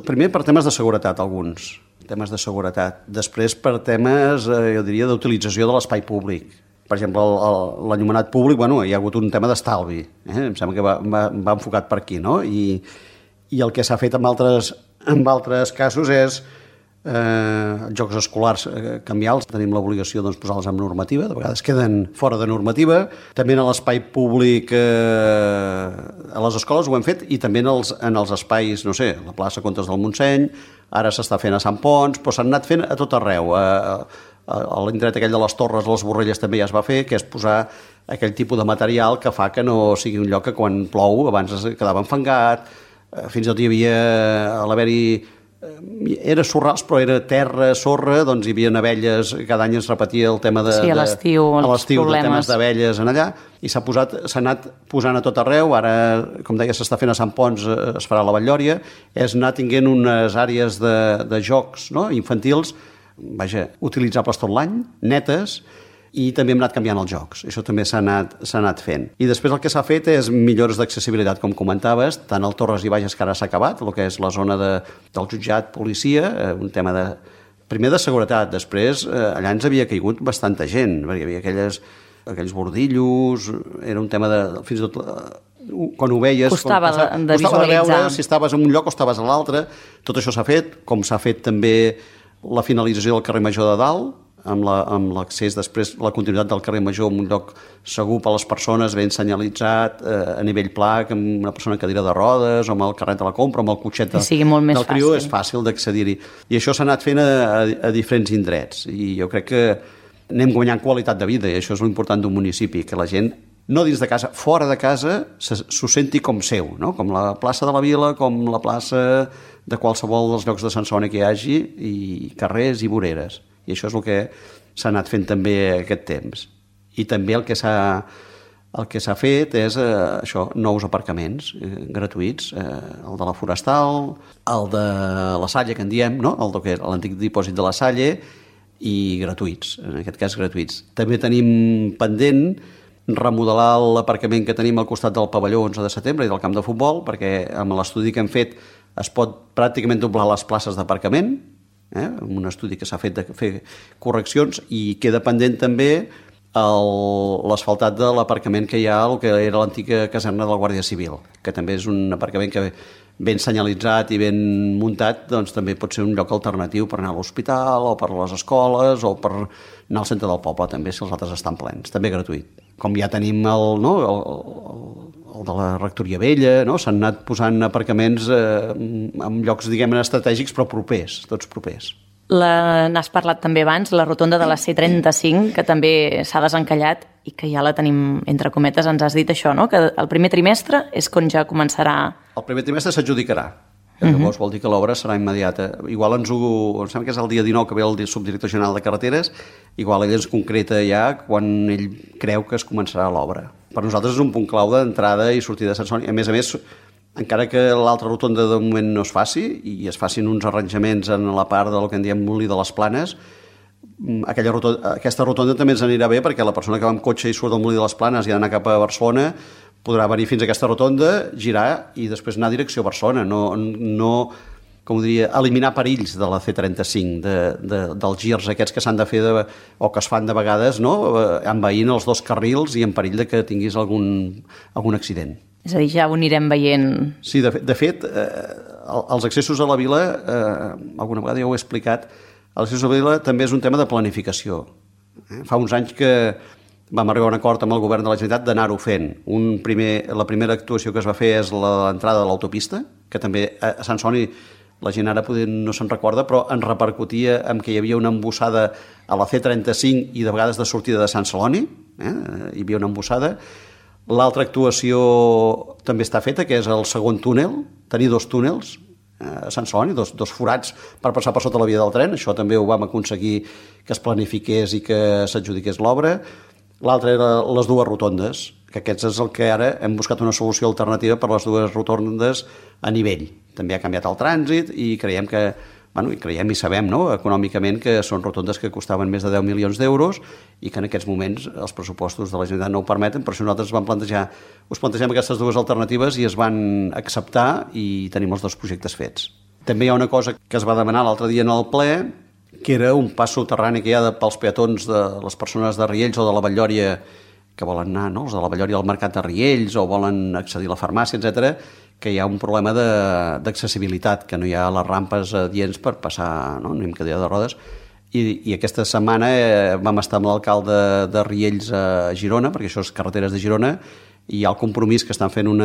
Primer per temes de seguretat, alguns temes de seguretat. Després per temes, jo diria, d'utilització de l'espai públic. Per exemple, l'enllumenat públic, hi ha hagut un tema d'estalvi. Em sembla que va enfocat per aquí, no? I el que s'ha fet en altres casos és jocs escolars canviar-los. Tenim l'obligació de posar-los en normativa, de vegades queden fora de normativa. També en l'espai públic a les escoles ho hem fet i també en els espais, la plaça Comtes del Montseny, ara s'està fent a Sant Ponç, però s'han anat fent a tot arreu. A l'indret aquell de les Torres, les Borrelles també ja es va fer, que és posar aquell tipus de material que fa que no sigui un lloc que quan plou abans es quedava enfangat, fins i tot hi havia, a l'haver-hi era sorrals, però era terra, sorra, doncs hi havia abelles, cada any es repetia el tema de... Sí, a l'estiu, de temes d'abelles en allà, i s'ha anat posant a tot arreu. Ara, com deia, s'està fent a Sant Ponç, es farà a la Batllòria, és anar tinguent unes àrees de jocs infantils, utilitzables tot l'any, netes, i també hem anat canviant els jocs. Això també s'ha anat fent. I després el que s'ha fet és millores d'accessibilitat, com comentaves, tant al Torres i Bages, que ara s'ha acabat, el que és la zona del jutjat, policia, un tema primer de seguretat, després allà ens havia caigut bastanta gent, perquè hi havia aquells bordillos, era un tema de... fins i tot quan ho veies... Costava de visualitzar. Costava de veure si estaves en un lloc o estaves a l'altre. Tot això s'ha fet, com s'ha fet també la finalització del carrer Major de Dalt, amb l'accés després, la continuïtat del carrer Major en un lloc segur per a les persones, ben senyalitzat, a nivell pla, amb una persona en cadira de rodes, o amb el carret de la compra, o amb el cotxet del criu, és fàcil d'accedir-hi. I això s'ha anat fent a diferents indrets, i jo crec que anem guanyant qualitat de vida, i això és l'important d'un municipi, que la gent, no dins de casa, fora de casa, s'ho senti com seu, no? Com la plaça de la Vila, com la plaça de qualsevol dels llocs de Sant Celoni que hi hagi, i carrers i voreres. I això és el que s'ha anat fent també aquest temps. I també el que s'ha fet és això, nous aparcaments gratuïts, el de la Forestal, el de la Salle, que en diem, no? El que és l'antic dipòsit de la Salle, i gratuïts, en aquest cas gratuïts. També tenim pendent remodelar l'aparcament que tenim al costat del pavelló 11 de setembre i del camp de futbol, perquè amb l'estudi que hem fet es pot pràcticament doblar les places d'aparcament, amb un estudi que s'ha fet de fer correccions, i queda pendent també l'asfaltat de l'aparcament que hi ha el que era l'antiga caserna del Guàrdia Civil, que també és un aparcament que ben senyalitzat i ben muntat, doncs també pot ser un lloc alternatiu per anar a l'hospital o per a les escoles o per anar al centre del poble també, si els altres estan plens, també gratuït. Com ja tenim el de la Rectoria Vella, no? S'han anat posant aparcaments en llocs, diguem-ne, estratègics, però propers, tots propers. N'has parlat també abans, la rotonda de la C35, que també s'ha desencallat i que ja la tenim, entre cometes, ens has dit això, no? Que el primer trimestre és quan ja començarà... El primer trimestre s'adjudicarà. Llavors vol dir que l'obra serà immediata. Igual em sembla que és el dia 19 que ve el subdirector general de carreteres, igual ell ens concreta ja quan ell creu que es començarà l'obra. Per nosaltres és un punt clau d'entrada i sortida de Sant Celoni. A més, encara que l'altra rotonda de moment no es faci i es facin uns arranjaments en la part del que en diem Molí de les Planes, aquesta rotonda també ens anirà bé perquè la persona que va amb cotxe i surt del Molí de les Planes i ha d'anar cap a Barcelona podrà venir fins a aquesta rotonda, girar i després anar a direcció a Barcelona, no com ho diria, eliminar perills de la C35, dels girs aquests que s'han de fer o que es fan de vegades, no? Envaint els dos carrils i en perill de que tinguis algun accident. És a dir, ja ho anirem veient. Sí, de fet, els accessos a la vila, alguna vegada ja ho he explicat, l'accés a la vila també és un tema de planificació. Fa uns anys que vam arribar a un acord amb el govern de la Generalitat d'anar-ho fent. La primera actuació que es va fer és l'entrada de l'autopista, que també a Sant Celoni la gent ara no se'n recorda, però en repercutia amb que hi havia una embossada a la C35 i de vegades de sortida de Sant Celoni, hi havia una embossada. L'altra actuació també està feta, que és el segon túnel, tenir dos túnels a Sant Celoni, dos forats per passar per sota la via del tren. Això també ho vam aconseguir que es planifiqués i que s'adjudiqués l'obra. L'altre era les dues rotondes, que aquests és el que ara hem buscat una solució alternativa per les dues rotondes a nivell. També ha canviat el trànsit i creiem i sabem, no?, econòmicament, que són rotondes que costaven més de 10 milions d'euros i que en aquests moments els pressupostos de la Generalitat no ho permeten, per això nosaltres us plantegem aquestes dues alternatives i es van acceptar i tenim els dos projectes fets. També hi ha una cosa que es va demanar l'altre dia en el ple, que era un pas soterrani que hi ha pels peatons de les persones de Riells o de la Batllòria que volen anar, no?, els de la Batllòria al mercat de Riells o volen accedir a la farmàcia, etc., que hi ha un problema d'accessibilitat, que no hi ha les rampes adients per passar, no?, anem cadira de rodes. I aquesta setmana vam estar amb l'alcalde de Riells a Girona, perquè això és carreteres de Girona, i hi ha el compromís que estan fent un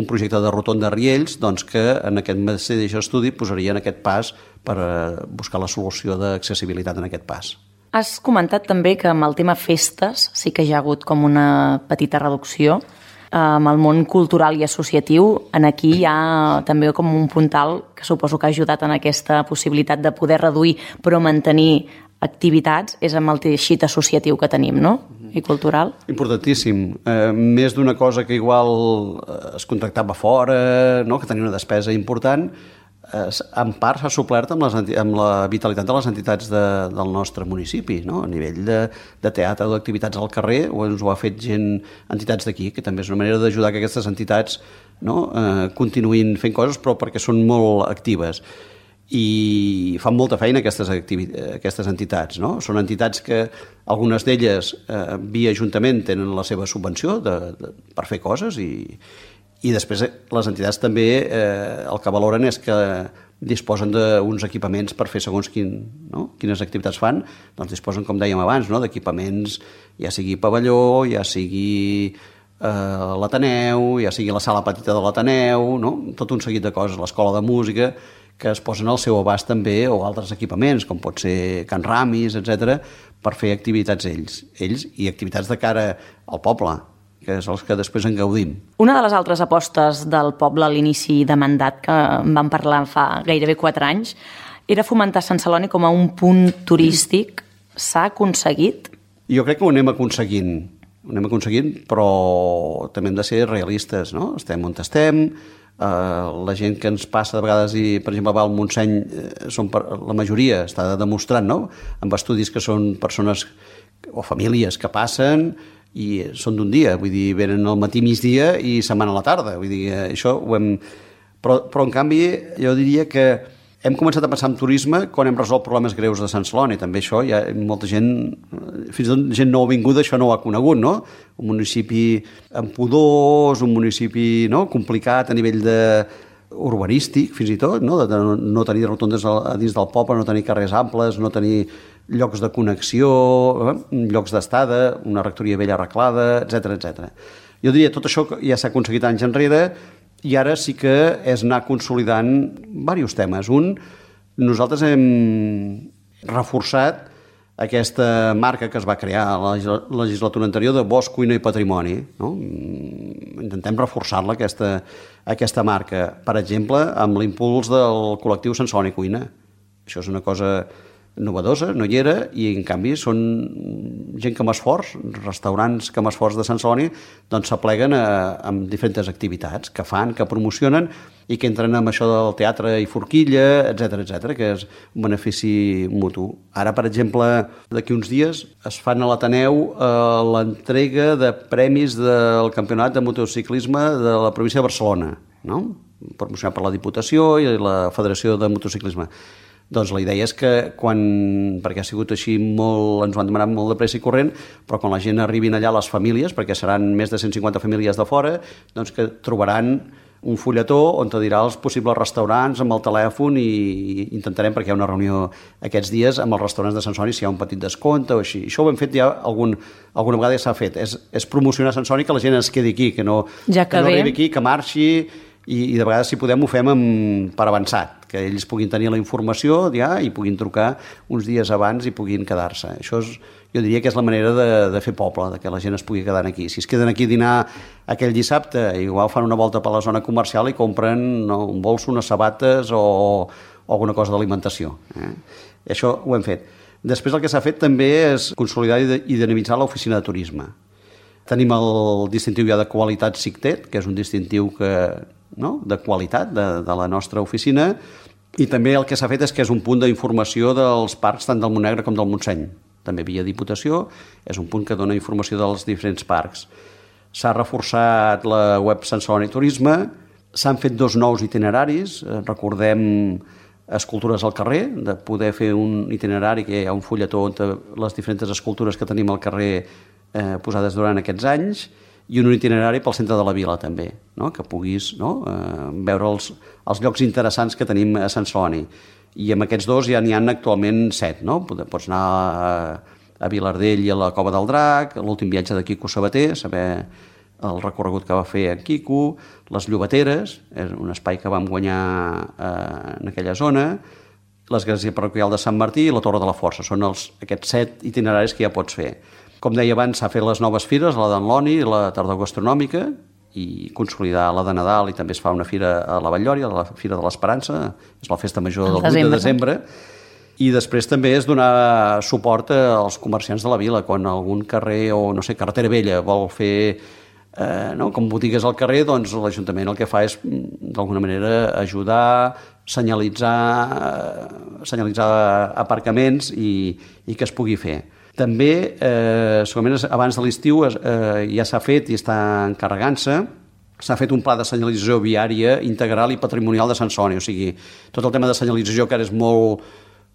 projecte de rotonda de Riells, doncs que en aquest mateix estudi posarien aquest pas per buscar la solució d'accessibilitat en aquest pas. Has comentat també que amb el tema festes sí que hi ha hagut com una petita reducció. Amb el món cultural i associatiu, aquí hi ha també com un puntal que suposo que ha ajudat en aquesta possibilitat de poder reduir però mantenir activitats, és amb el teixit associatiu que tenim, no?, i cultural. Importantíssim. Més d'una cosa que igual es contractava fora, no?, que tenia una despesa important, en part s'ha suplert amb la vitalitat de les entitats del nostre municipi, no?, a nivell de teatre o d'activitats al carrer, o ens ho ha fet entitats d'aquí, que també és una manera d'ajudar que aquestes entitats, no?, continuïn fent coses, però perquè són molt actives. i fan molta feina aquestes entitats, no? Són entitats que algunes d'elles via Ajuntament tenen la seva subvenció per fer coses i després les entitats també el que valoren és que disposen d'uns equipaments per fer segons quines activitats fan, doncs disposen, com dèiem abans, d'equipaments, ja sigui pavelló, ja sigui l'Ateneu, ja sigui la sala petita de l'Ateneu, no? Tot un seguit de coses, l'escola de música, que es posen al seu abast també, o altres equipaments, com pot ser Can Ramis, etc, per fer activitats ells i activitats de cara al poble, que és els que després en gaudim. Una de les altres apostes del poble a l'inici de mandat, que en vam parlar fa gairebé 4 anys, era fomentar Sant Celoni com a un punt turístic. S'ha aconseguit? Jo crec que ho anem aconseguint, però també hem de ser realistes, no? Estem on estem, la gent que ens passa de vegades i, per exemple, va al Montseny, la majoria està demostrant, no? Amb estudis que són persones o famílies que passen i són d'un dia, vull dir, venen al matí, migdia i se'n van a la tarda, vull dir, això ho hem... Però en canvi, jo diria que hem començat a pensar en turisme quan hem resolt problemes greus de Sant Celoni. També això, hi ha molta gent, fins i tot gent nouvinguda, això no ho ha conegut, no? Un municipi amb pudors, un municipi complicat a nivell urbanístic, fins i tot, no? De no tenir rotondes a dins del poble, no tenir carrers amples, no tenir llocs de connexió, llocs d'estada, una rectoria vella arreglada, etc. Jo diria, tot això ja s'ha aconseguit anys enrere, i ara sí que és anar consolidant diversos temes. Nosaltres hem reforçat aquesta marca que es va crear a la legislatura anterior de Bosc, Cuina i Patrimoni, no? Intentem reforçar-la, aquesta marca, per exemple, amb l'impuls del col·lectiu Sant Celoni Cuina. Això és una cosa novedosa, no hi era, i en canvi són gent que m'esforç, restaurants que m'esforç de Sant Celoni, doncs s'apleguen amb diferents activitats que fan, que promocionen i que entren amb això del teatre i forquilla, etc, que és un benefici mutu. Ara, per exemple, d'aquí uns dies es fan a l'Ateneu l'entrega de premis del Campionat de Motociclisme de la província de Barcelona, no? Promocionat per la Diputació i la Federació de Motociclisme. Doncs la idea és que perquè ha sigut així molt, ens ho han demanat molt de pressa i corrent, però quan la gent arribin allà, les famílies, perquè seran més de 150 famílies de fora, doncs que trobaran un fulletó on te dirà els possibles restaurants amb el telèfon i intentarem, perquè hi ha una reunió aquests dies amb els restaurants de Sant Celoni, si hi ha un petit descompte o així. Això ho hem fet ja alguna vegada ja s'ha fet. És promocionar Sant Celoni, que la gent es quedi aquí, que no arribi aquí, que marxi, i de vegades, si podem, ho fem per avançat, que ells puguin tenir la informació ja i puguin trucar uns dies abans i puguin quedar-se. Això jo diria que és la manera de fer poble, de que la gent es pugui quedar aquí. Si es queden aquí a dinar aquell dissabte, igual fan una volta per la zona comercial i compren un bolso, unes sabates o alguna cosa d'alimentació. Això ho hem fet. Després el que s'ha fet també és consolidar i dinamitzar l'oficina de turisme. Tenim el distintiu ja de qualitat SICTET, que és un distintiu de qualitat de la nostra oficina, i també el que s'ha fet és que és un punt d'informació dels parcs tant del Montnegre com del Montseny. També via Diputació, és un punt que dona informació dels diferents parcs. S'ha reforçat la web Sant Celoni Turisme, s'han fet 2 nous itineraris, recordem escultures al carrer, de poder fer un itinerari que hi ha un fulletó on les diferents escultures que tenim al carrer posades durant aquests anys, i un itinerari pel centre de la vila també, que puguis veure els llocs interessants que tenim a Sant Celoni. I amb aquests 2 ja n'hi ha actualment 7. Pots anar a Vilardell i a la Cova del Drac, l'últim viatge de Quico Sabater, saber el recorregut que va fer en Quico, les Llobateres, és un espai que vam guanyar en aquella zona, l'església parroquial de Sant Martí i la Torre de la Força. Són aquests 7 itineraris que ja pots fer. Com deia abans, s'ha fet les noves fires, la d'en Loni i la tardor gastronòmica, i consolidar la de Nadal, i també es fa una fira a la Vall-lloria, la Fira de l'Esperança, és la festa major del 8 de desembre, i després també és donar suport als comerciants de la vila, quan algun carrer o, carretera vella vol fer com botigues al carrer, doncs l'Ajuntament el que fa és, d'alguna manera, ajudar, senyalitzar aparcaments i que es pugui fer. També, segurament abans de l'estiu ja s'ha fet i està encarregant-se s'ha fet un pla de senyalització viària integral i patrimonial de Sant Celoni. O sigui, tot el tema de senyalització que ara és molt,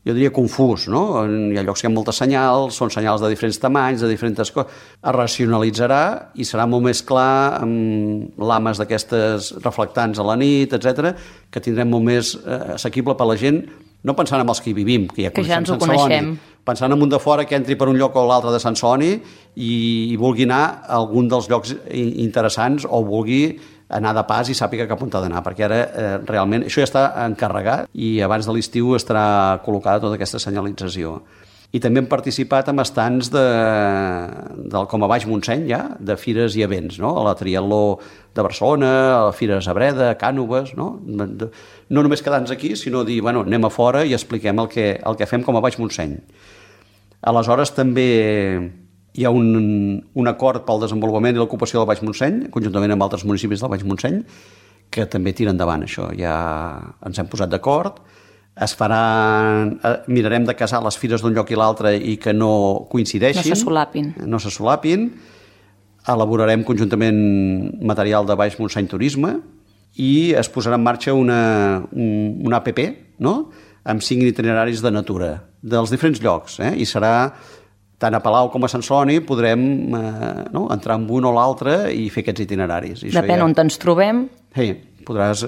jo diria, confús, no? Hi ha llocs que hi ha moltes senyals, són senyals de diferents tamanys, de diferents coses. Es racionalitzarà i serà molt més clar amb lames d'aquestes reflectants a la nit, etc, que tindrem molt més assequible per la gent, no pensant en els que hi vivim, que ja coneixem Sant Celoni, pensant en un de fora que entri per un lloc o l'altre de Sant Celoni i vulgui anar a algun dels llocs interessants o vulgui anar de pas i sàpiga cap on ha d'anar, perquè ara realment això ja està encarregat i abans de l'estiu estarà col·locada tota aquesta senyalització. I també hem participat en estants com a Baix Montseny, ja, de fires i events, no? A la Triatló de Barcelona, a la Fires a Breda, a Cànoves, no? No només quedar-nos aquí, sinó dir, bueno, anem a fora i expliquem el que fem com a Baix Montseny. Aleshores, també hi ha un acord pel desenvolupament i l'ocupació del Baix Montseny, conjuntament amb altres municipis del Baix Montseny, que també tira endavant això. Ja ens hem posat d'acord. Mirarem de casar les fires d'un lloc i l'altre i que no coincideixin. No se solapin. Elaborarem conjuntament material de Baix Montseny Turisme i es posarà en marxa una app, no?, amb 5 itineraris de natura dels diferents llocs, i serà tant a Palau com a Sant Celoni podrem entrar en un o l'altre i fer aquests itineraris. Depèn on ens trobem. Sí, podràs,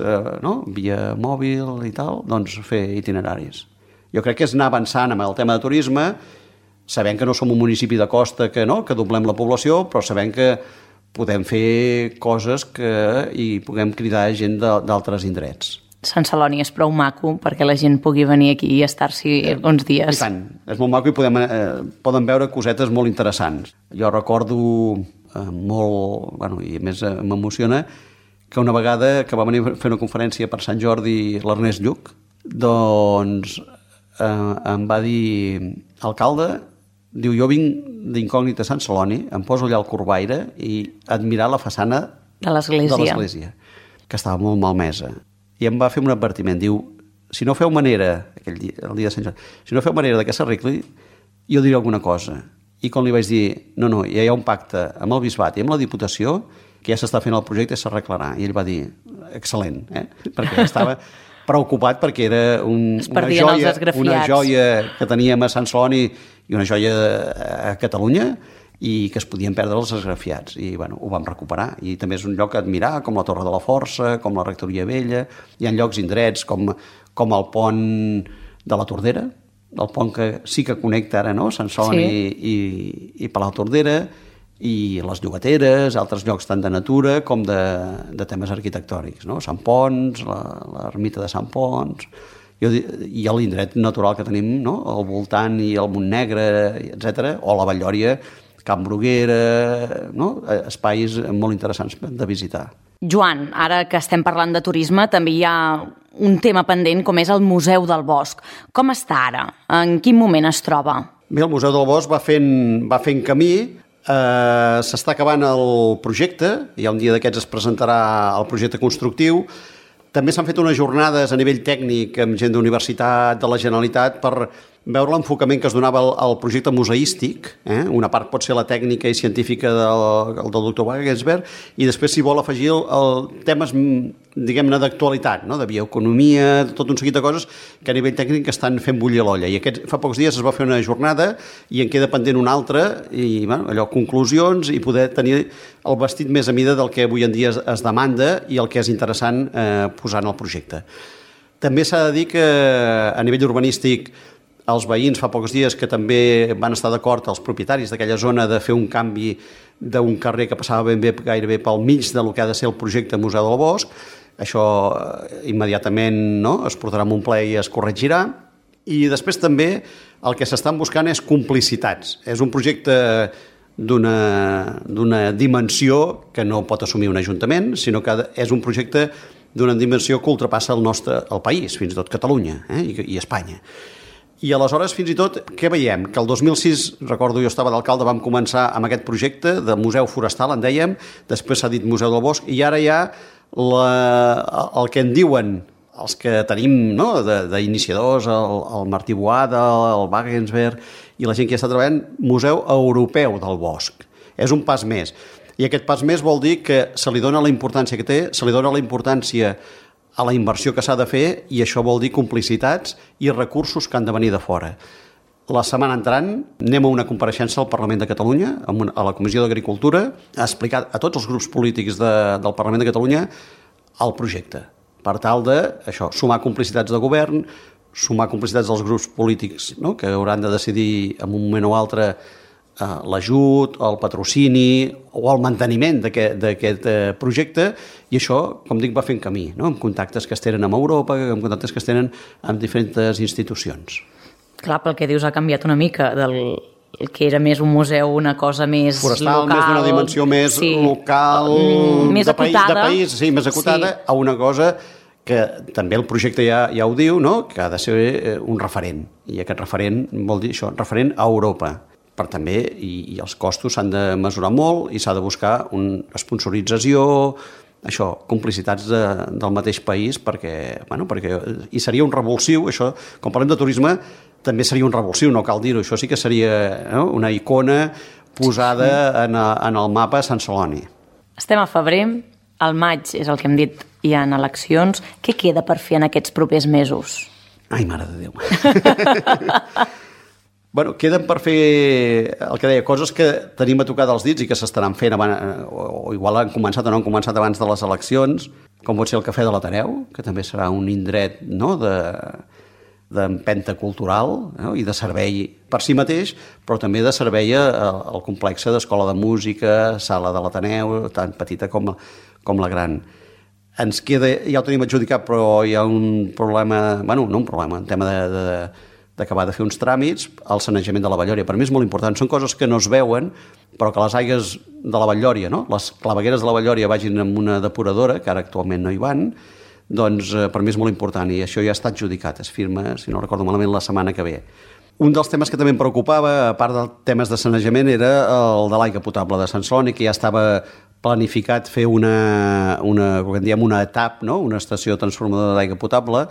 via mòbil i tal, doncs fer itineraris. Jo crec que és anar avançant amb el tema de turisme, sabent que no som un municipi de costa que doblem la població, però sabent que podem fer coses i puguem cridar gent d'altres indrets. Sant Celoni és prou maco perquè la gent pugui venir aquí i estar-s'hi uns dies. I tant, és molt maco i poden veure cosetes molt interessants. Jo recordo molt, i a més m'emociona, que una vegada que va venir a fer una conferència per Sant Jordi l'Ernest Lluch, doncs em va dir, alcalde, diu, jo vinc d'incògnit a Sant Celoni, em poso allà al Corbaire i admirar la façana de l'església, que estava molt malmesa. I em va fer un advertiment, diu, si no feu manera, el dia de Sant Jordi, si no feu manera que s'arregli, jo diré alguna cosa. I quan li vaig dir, no, ja hi ha un pacte amb el Bisbat i amb la Diputació, que ja s'està fent el projecte i s'arreglarà. I ell va dir, excel·lent, perquè estava preocupat perquè era una joia que teníem a Sant Celoni i una joia a Catalunya i que es podien perdre els esgrafiats. I ho vam recuperar. I també és un lloc a admirar, com la Torre de la Força, com la Rectoria Vella. Hi ha llocs indrets com el pont de la Tordera, el pont que sí que connecta ara, Sant Celoni i Palau Tordera, i les Llogateres, altres llocs tant de natura com de temes arquitectònics, Sant Ponç, l'ermita de Sant Ponç, i l'indret natural que tenim al voltant i el Montnegre, etc., o la Vall-lloria, Camp Bruguera, espais molt interessants de visitar. Joan, ara que estem parlant de turisme, també hi ha un tema pendent com és el Museu del Bosc. Com està ara? En quin moment es troba? Bé, el Museu del Bosc va fent camí. S'està acabant el projecte, ja un dia d'aquests es presentarà el projecte constructiu. També s'han fet unes jornades a nivell tècnic amb gent d'universitat, de la Generalitat, per veure l'enfocament que es donava al projecte museístic. Una part pot ser la tècnica i científica del doctor Wagensberg, i després s'hi vol afegir temes, diguem-ne, d'actualitat, de bioeconomia, tot un seguit de coses que a nivell tècnic estan fent bullir l'olla. I fa pocs dies es va fer una jornada i en queda pendent una altra, i conclusions, i poder tenir el vestit més a mida del que avui en dia es demanda i el que és interessant posar en el projecte. També s'ha de dir que a nivell urbanístic els veïns fa pocs dies que també van estar d'acord, els propietaris d'aquella zona, de fer un canvi d'un carrer que passava gairebé pel mig del que ha de ser el projecte Museu del Bosc. Això immediatament es portarà a un ple i es corregirà. I després també el que s'estan buscant és complicitats. És un projecte d'una dimensió que no pot assumir un ajuntament, sinó que és un projecte d'una dimensió que ultrapassa el país, fins i tot Catalunya i Espanya. I aleshores, fins i tot, què veiem? Que el 2006, recordo, jo estava d'alcalde, vam començar amb aquest projecte de museu forestal, en dèiem, després s'ha dit Museu del Bosc, i ara hi ha el que en diuen els que tenim d'iniciadors, el Martí Boada, el Wagensberg, i la gent que està treballant, Museu Europeu del Bosc. És un pas més. I aquest pas més vol dir que se li dona la importància que té, se li dona la importància a la inversió que s'ha de fer, i això vol dir complicitats i recursos que han de venir de fora. La setmana entrant anem a una compareixença al Parlament de Catalunya, a la Comissió d'Agricultura, a explicar a tots els grups polítics del Parlament de Catalunya el projecte, per tal de sumar complicitats de govern, sumar complicitats dels grups polítics, no?, que hauran de decidir en un moment o altre l'ajut, el patrocini o el manteniment d'aquest projecte, i això, com dic, va fent camí, no?, amb contactes que es tenen amb Europa, amb contactes que es tenen amb diferents institucions. Clar, pel que dius ha canviat una mica del que era més un museu, una cosa més forestal, local, més d'una dimensió més local, més acotada, de país, sí, més acotada, a una cosa que també el projecte ja ho diu, no?, que ha de ser un referent, i aquest referent vol dir això, referent a Europa. Per també, i els costos s'han de mesurar molt i s'ha de buscar una sponsorització, complicitats del mateix país, perquè i seria un revulsiu, això, quan parlem de turisme, també seria un revulsiu, no cal dir-ho, això sí que seria una icona posada en el mapa Sant Celoni. Estem a febrer, al maig és el que hem dit, hi ha eleccions. Què queda per fer en aquests propers mesos? Ai, mare de Déu! Queden per fer, el que deia, coses que tenim a tocar dels dits i que s'estaran fent abans, o igual han començat o no han començat abans de les eleccions, com pot ser el Cafè de l'Ateneu, que també serà un indret, no?, d'empenta cultural, no?, i de servei per si mateix, però també de servei al complex d'escola de música, sala de l'Ateneu, tan petita com la gran. Ens queda, ja ho tenim adjudicat, però hi ha un problema, un tema d'acabar de fer uns tràmits, el sanejament de la Vallòria. Per mi és molt important. Són coses que no es veuen, però que les aigües de la Vallòria, no?, les clavegueres de la Vallòria vagin amb una depuradora, que ara actualment no hi van, doncs per mi és molt important, i això ja està adjudicat, es firma, si no recordo malament, la setmana que ve. Un dels temes que també em preocupava, a part dels temes de sanejament, era el de l'aigua potable de Sant Celoni, que ja estava planificat fer una ETAP, no?, una estació transformadora d'aigua potable,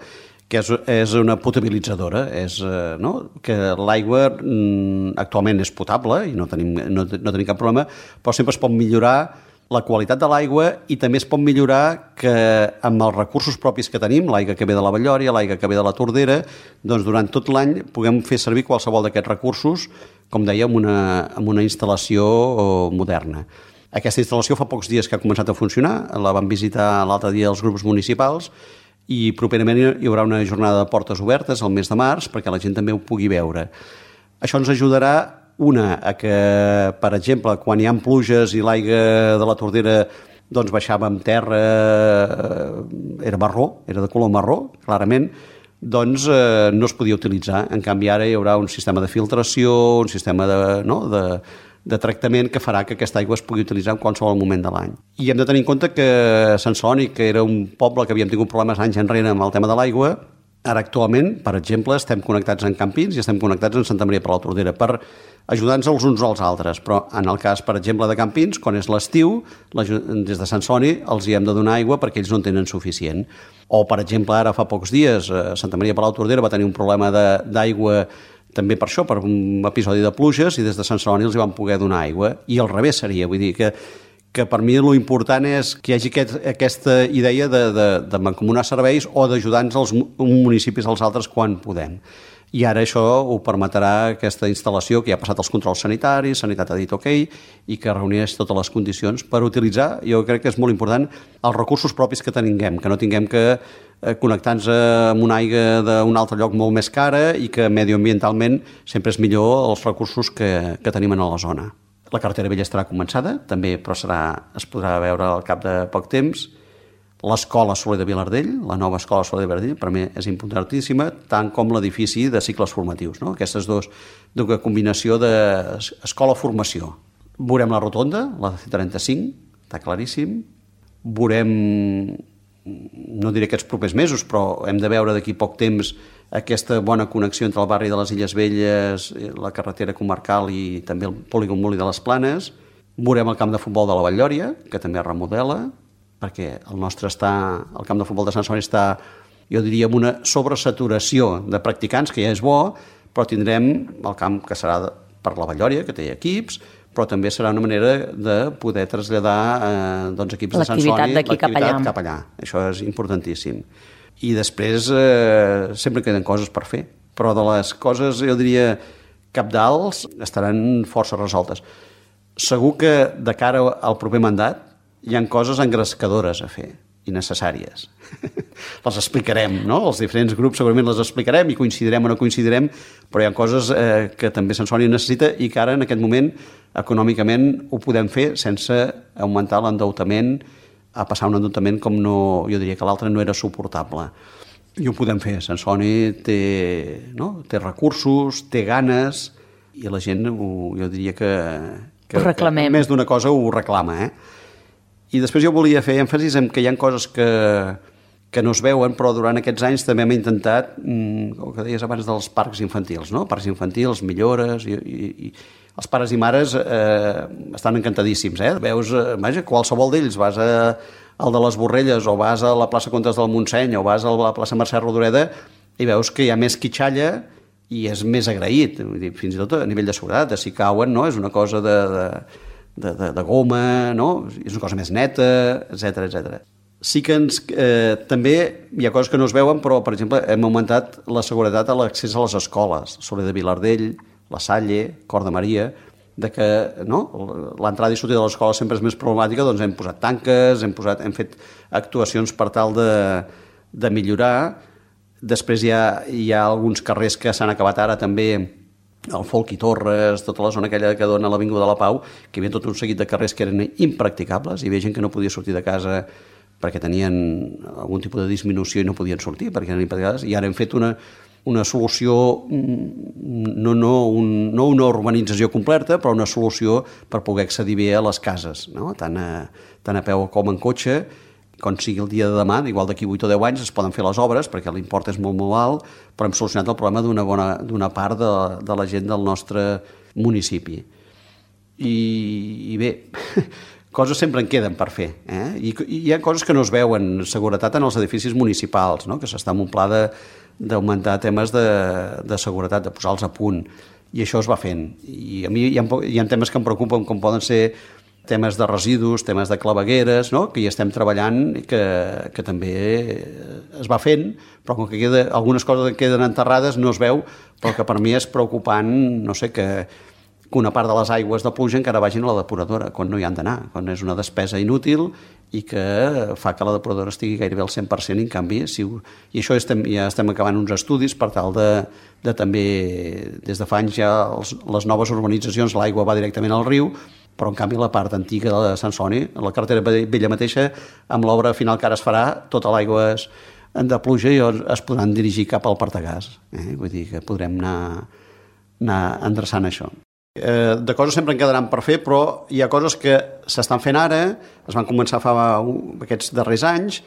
que és una potabilitzadora, que l'aigua actualment és potable i no tenim cap problema, però sempre es pot millorar la qualitat de l'aigua, i també es pot millorar que amb els recursos propis que tenim, l'aigua que ve de la Vallòria, l'aigua que ve de la Tordera, doncs durant tot l'any puguem fer servir qualsevol d'aquests recursos, com deia, amb una instal·lació moderna. Aquesta instal·lació fa pocs dies que ha començat a funcionar, la van visitar l'altre dia els grups municipals, i properament hi haurà una jornada de portes obertes el mes de març perquè la gent també ho pugui veure. Això ens ajudarà, a que, per exemple, quan hi ha pluges i l'aigua de la Tordera doncs baixava amb terra, era marró, era de color marró, clarament, doncs no es podia utilitzar. En canvi, ara hi haurà un sistema de filtració, un sistema de tractament que farà que aquesta aigua es pugui utilitzar en qualsevol moment de l'any. I hem de tenir en compte que Sant Celoni, que era un poble que havíem tingut problemes anys enrere amb el tema de l'aigua, ara actualment, per exemple, estem connectats en Campins i estem connectats en Santa Maria per la Tordera per ajudar-nos els uns als altres. Però en el cas, per exemple, de Campins, quan és l'estiu, des de Sant Celoni els hi hem de donar aigua perquè ells no en tenen suficient. O, per exemple, ara fa pocs dies, Santa Maria per la Tordera va tenir un problema d'aigua també per això, per un episodi de pluges, i des de Sant Celoni els hi van poder donar aigua. I al revés seria, vull dir que per mi l'important és que hi hagi aquesta idea de mancomunar serveis o d'ajudar-nos els municipis als altres quan podem. I ara això ho permetrà aquesta instal·lació que ja ha passat els controls sanitaris, Sanitat ha dit ok, i que reuneix totes les condicions per utilitzar, jo crec que és molt important, els recursos propis que tinguem, que no tinguem que connectar-nos amb una aigua d'un altre lloc molt més cara i que medioambientalment sempre és millor els recursos que tenim a la zona. La carretera vella estarà començada, també, però es podrà veure al cap de poc temps. L'escola Soler de Vilardell, la nova escola Soler de Vilardell, per mi és importantíssima, tant com l'edifici de cicles formatius, no? Aquestes dues combinació d'escola-formació. Veurem la rotonda, la C35, està claríssim. Veurem, no diré aquests propers mesos, però hem de veure d'aquí poc temps aquesta bona connexió entre el barri de les Illes Velles, la carretera comarcal i també el polígon Molí de les Planes. Veurem el camp de futbol de la Vall-lloria, que també es remodela, perquè el camp de futbol de Sant Celoni està, jo diria, amb una sobresaturació de practicants, que ja és bo, però tindrem el camp que serà per la Vall-lloria, que té equips, però també serà una manera de poder traslladar equips de l'activitat d'aquí cap allà. Això és importantíssim. I després sempre queden coses per fer, però de les coses, jo diria, cabdals estaran força resoltes. Segur que de cara al proper mandat hi ha coses engrescadores a fer i necessàries. Les explicarem, no? Els diferents grups segurament les explicarem i coincidirem o no coincidirem, però hi ha coses que també Sensoni necessita i que ara, en aquest moment, econòmicament ho podem fer sense augmentar l'endeutament, a passar un endeutament com no, jo diria que l'altre no era suportable. I ho podem fer. Sensoni té recursos, té ganes, i la gent, jo diria que ho reclamem. Més d'una cosa ho reclama, I després jo volia fer èmfasis en que hi ha coses que no es veuen, però durant aquests anys també hem intentat, el que deies abans dels parcs infantils, no? Parcs infantils, millores, i els pares i mares estan encantadíssims, Veus, vaja, qualsevol d'ells, vas al de les Borrelles, o vas a la plaça Comtes del Montseny, o vas a la plaça Mercè Rodoreda, i veus que hi ha més quitxalla i és més agraït, fins i tot a nivell de seguretat, de si cauen, no? És una cosa de goma, no? És una cosa més neta, etc. Sí que també hi ha coses que no es veuen, però, per exemple, hem augmentat la seguretat a l'accés a les escoles, Soler de Vilardell, La Salle, Cor de Maria, de que l'entrada i sortida de l'escola sempre és més problemàtica, doncs hem posat tanques, hem fet actuacions per tal de millorar. Després hi ha alguns carrers que s'han acabat ara també, el Folk i Torres, tota la zona aquella que dona a l'Avinguda de la Pau, que hi havia tot un seguit de carrers que eren impracticables, hi havia gent que no podia sortir de casa perquè tenien algun tipus de disminució i no podien sortir perquè eren impracticables, i ara hem fet una solució, no una urbanització completa, però una solució per poder accedir bé a les cases, no? Tant a peu com en cotxe. Quan sigui el dia de demà, igual d'aquí 8 o 10 anys es poden fer les obres perquè l'import és molt alt, però hem solucionat el problema d'una part de la gent del nostre municipi. I bé, coses sempre en queden per fer, I hi ha coses que no es veuen, seguretat en els edificis municipals, no? Que s'està en un pla d'augmentar temes de seguretat, de posar-los a punt, i això es va fent. I a mi hi ha temes que em preocupen, com poden ser temes de residus, temes de clavegueres, no? Que hi estem treballant i que també es va fent, però com que algunes coses queden enterrades no es veu, però que per mi és preocupant, no sé, que una part de les aigües de pluja encara vagin a la depuradora, quan no hi han d'anar, quan és una despesa inútil i que fa que la depuradora estigui gairebé al 100%, i en canvi, i això ja estem acabant uns estudis per tal de també, des de fa anys ja les noves urbanitzacions, l'aigua va directament al riu, però en canvi la part antiga de Sensoni, la carretera vella mateixa, amb l'obra final que ara es farà, tota l'aigua de pluja i es podran dirigir cap al Partagàs. Vull dir que podrem anar endreçant això. De coses sempre en quedaran per fer, però hi ha coses que s'estan fent ara, es van començar fa aquests darrers anys,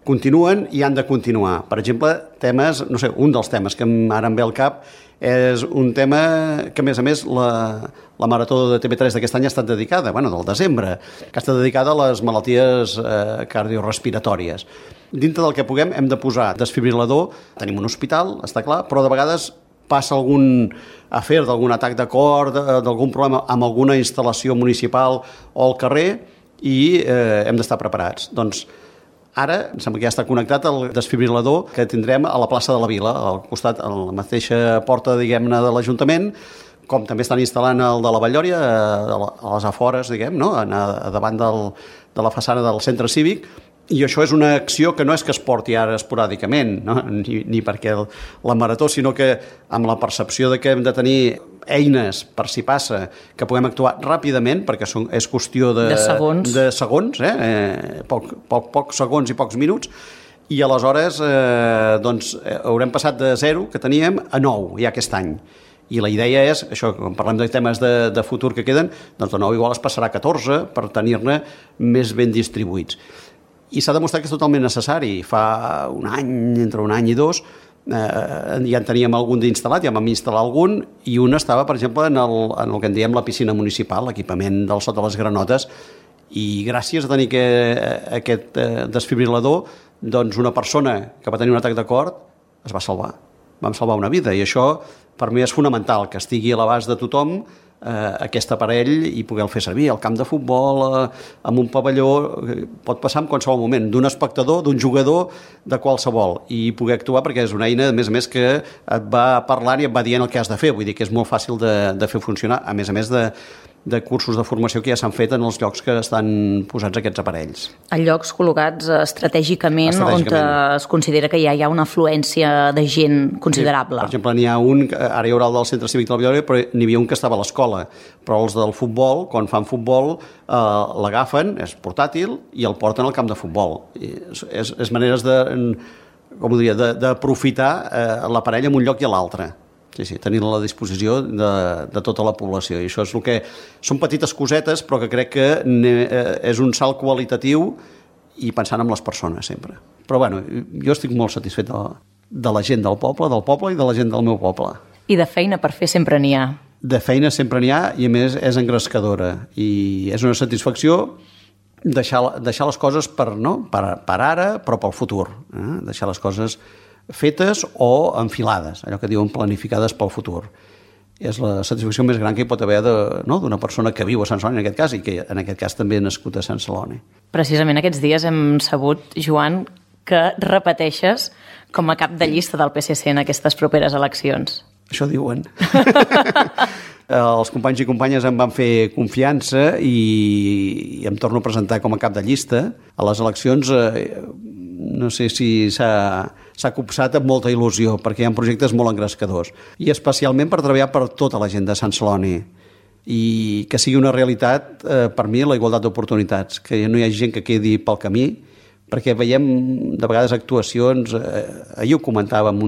continuen i han de continuar. Per exemple, temes, no sé, un dels temes que ara em ve al cap és un tema que, a més, la marató de TV3 d'aquest any ha estat dedicada, del desembre, que està dedicada a les malalties cardiorespiratòries. Dintre del que puguem hem de posar desfibrilador, tenim un hospital, està clar, però de vegades passa algun afer d'algun atac de cor, d'algun problema amb alguna instal·lació municipal o al carrer, i hem d'estar preparats. Doncs ara, em sembla que ja està connectat el desfibrilador que tindrem a la plaça de la Vila, al costat, a la mateixa porta, diguem-ne, de l'Ajuntament, com també estan instal·lant el de la Vallòria, a les afores, no? Davant de la façana del centre cívic, i això és una acció que no és que es porti ara esporàdicament, no? ni perquè la marató, sinó que amb la percepció de que hem de tenir eines per si passa, que puguem actuar ràpidament, perquè és qüestió de segons, pocs segons i pocs minuts, i aleshores haurem passat de 0, que teníem, a 9 ja aquest any. I la idea és, això, quan parlem de temes de futur que queden, doncs de 9 igual es passarà a 14 per tenir-ne més ben distribuïts. I s'ha demostrat que és totalment necessari. Fa un any, entre un any i 2, ja en teníem algun d'instal·lat, ja vam instal·lar algun, i un estava, per exemple, en el que en diem la piscina municipal, l'equipament del sota les granotes, i gràcies a tenir aquest desfibrilador, doncs una persona que va tenir un atac de cor es va salvar. Vam salvar una vida, i això per mi és fonamental, que estigui a l'abast de tothom aquest aparell i poder-lo fer servir al camp de futbol, en un pavelló, pot passar en qualsevol moment, d'un espectador, d'un jugador, de qualsevol, i poder actuar perquè és una eina, a més que et va parlant i et va dient el que has de fer, vull dir que és molt fàcil de fer funcionar, a més de cursos de formació que ja s'han fet en els llocs que estan posats aquests aparells. En llocs col·locats estratègicament. On es considera que ja hi ha una afluència de gent considerable. Sí, per exemple, n'hi ha un, ara hi haurà el del Centre Cívic de la Villarreal, però n'hi havia un que estava a l'escola, però els del futbol, quan fan futbol, l'agafen, és portàtil, i el porten al camp de futbol. És maneres d'aprofitar l'aparell en un lloc i a l'altre. Sí, tenir-la a la disposició de tota la població. I això és el que... Són petites cosetes, però que crec que és un salt qualitatiu i pensant en les persones, sempre. Però, bueno, jo estic molt satisfet de la gent del poble i de la gent del meu poble. I de feina per fer sempre n'hi ha. De feina sempre n'hi ha i, a més, és engrescadora. I és una satisfacció deixar les coses per ara, però pel futur. Deixar les coses fetes o enfilades, allò que diuen planificades pel futur. És la satisfacció més gran que hi pot haver d'una persona que viu a Sant Celoni, en aquest cas, i que en aquest cas també ha nascut a Sant Celoni. Precisament aquests dies hem sabut, Joan, que repeteixes com a cap de llista del PSC en aquestes properes eleccions. Això diuen. Els companys i companyes em van fer confiança i em torno a presentar com a cap de llista. A les eleccions no sé si s'ha copsat amb molta il·lusió, perquè hi ha projectes molt engrescadors. I especialment per treballar per tota la gent de Sant Celoni. I que sigui una realitat, per mi, la igualtat d'oportunitats. Que no hi hagi gent que quedi pel camí, perquè veiem de vegades actuacions, ahir ho comentava amb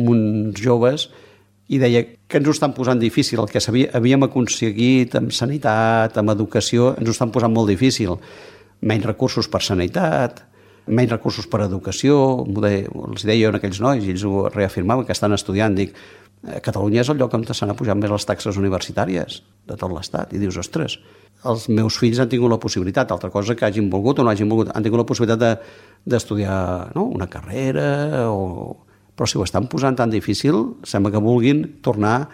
uns joves, i deia que ens ho estan posant difícil. El que havíem aconseguit amb sanitat, amb educació, ens ho estan posant molt difícil. Menys recursos per sanitat, menys recursos per educació, els deia jo a aquells nois, i ells ho reafirmaven, que estan estudiant, dic, Catalunya és el lloc on s'han apujat més les taxes universitàries de tot l'Estat, i dius, ostres, els meus fills han tingut la possibilitat, altra cosa que hagin volgut o no hagin volgut, han tingut la possibilitat d'estudiar una carrera, però si ho estan posant tan difícil, sembla que vulguin tornar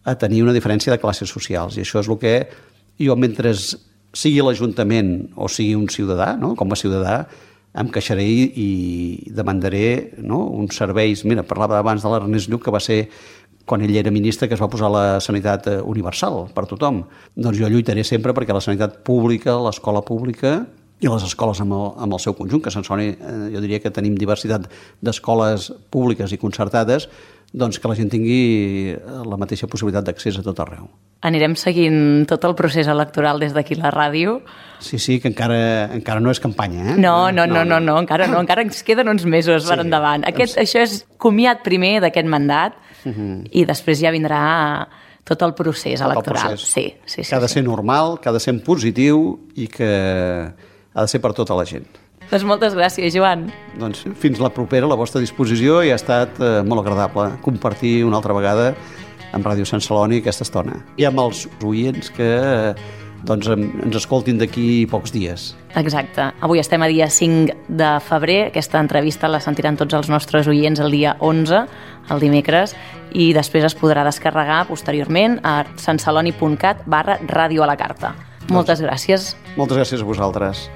a tenir una diferència de classes socials, i això és el que jo, mentre sigui l'Ajuntament o sigui un ciutadà, com a ciutadà, em queixaré i demandaré uns serveis. Mira, parlava abans de l'Ernest Lluch, que va ser, quan ell era ministre, que es va posar la sanitat universal per tothom. Doncs jo lluitaré sempre perquè la sanitat pública, l'escola pública i les escoles amb el seu conjunt, que Sant Celoni, jo diria que tenim diversitat d'escoles públiques i concertades, doncs que la gent tingui la mateixa possibilitat d'accés a tot arreu. Anirem seguint tot el procés electoral des d'aquí la ràdio. Sí, que encara no és campanya, eh? No, encara ens queden uns mesos per endavant. Això és comiat primer d'aquest mandat i després ja vindrà tot el procés electoral. Sí. Que ha de ser normal, que ha de ser positiu i que ha de ser per tota la gent. Doncs moltes gràcies, Joan. Doncs fins la propera, a la vostra disposició, i ha estat molt agradable compartir una altra vegada amb Ràdio Sant Celoni aquesta estona. I amb els oients que ens escoltin d'aquí pocs dies. Exacte. Avui estem a dia 5 de febrer. Aquesta entrevista la sentiran tots els nostres oients el dia 11, el dimecres, i després es podrà descarregar posteriorment a santceloni.cat/ràdio a la carta. Moltes gràcies. Moltes gràcies a vosaltres.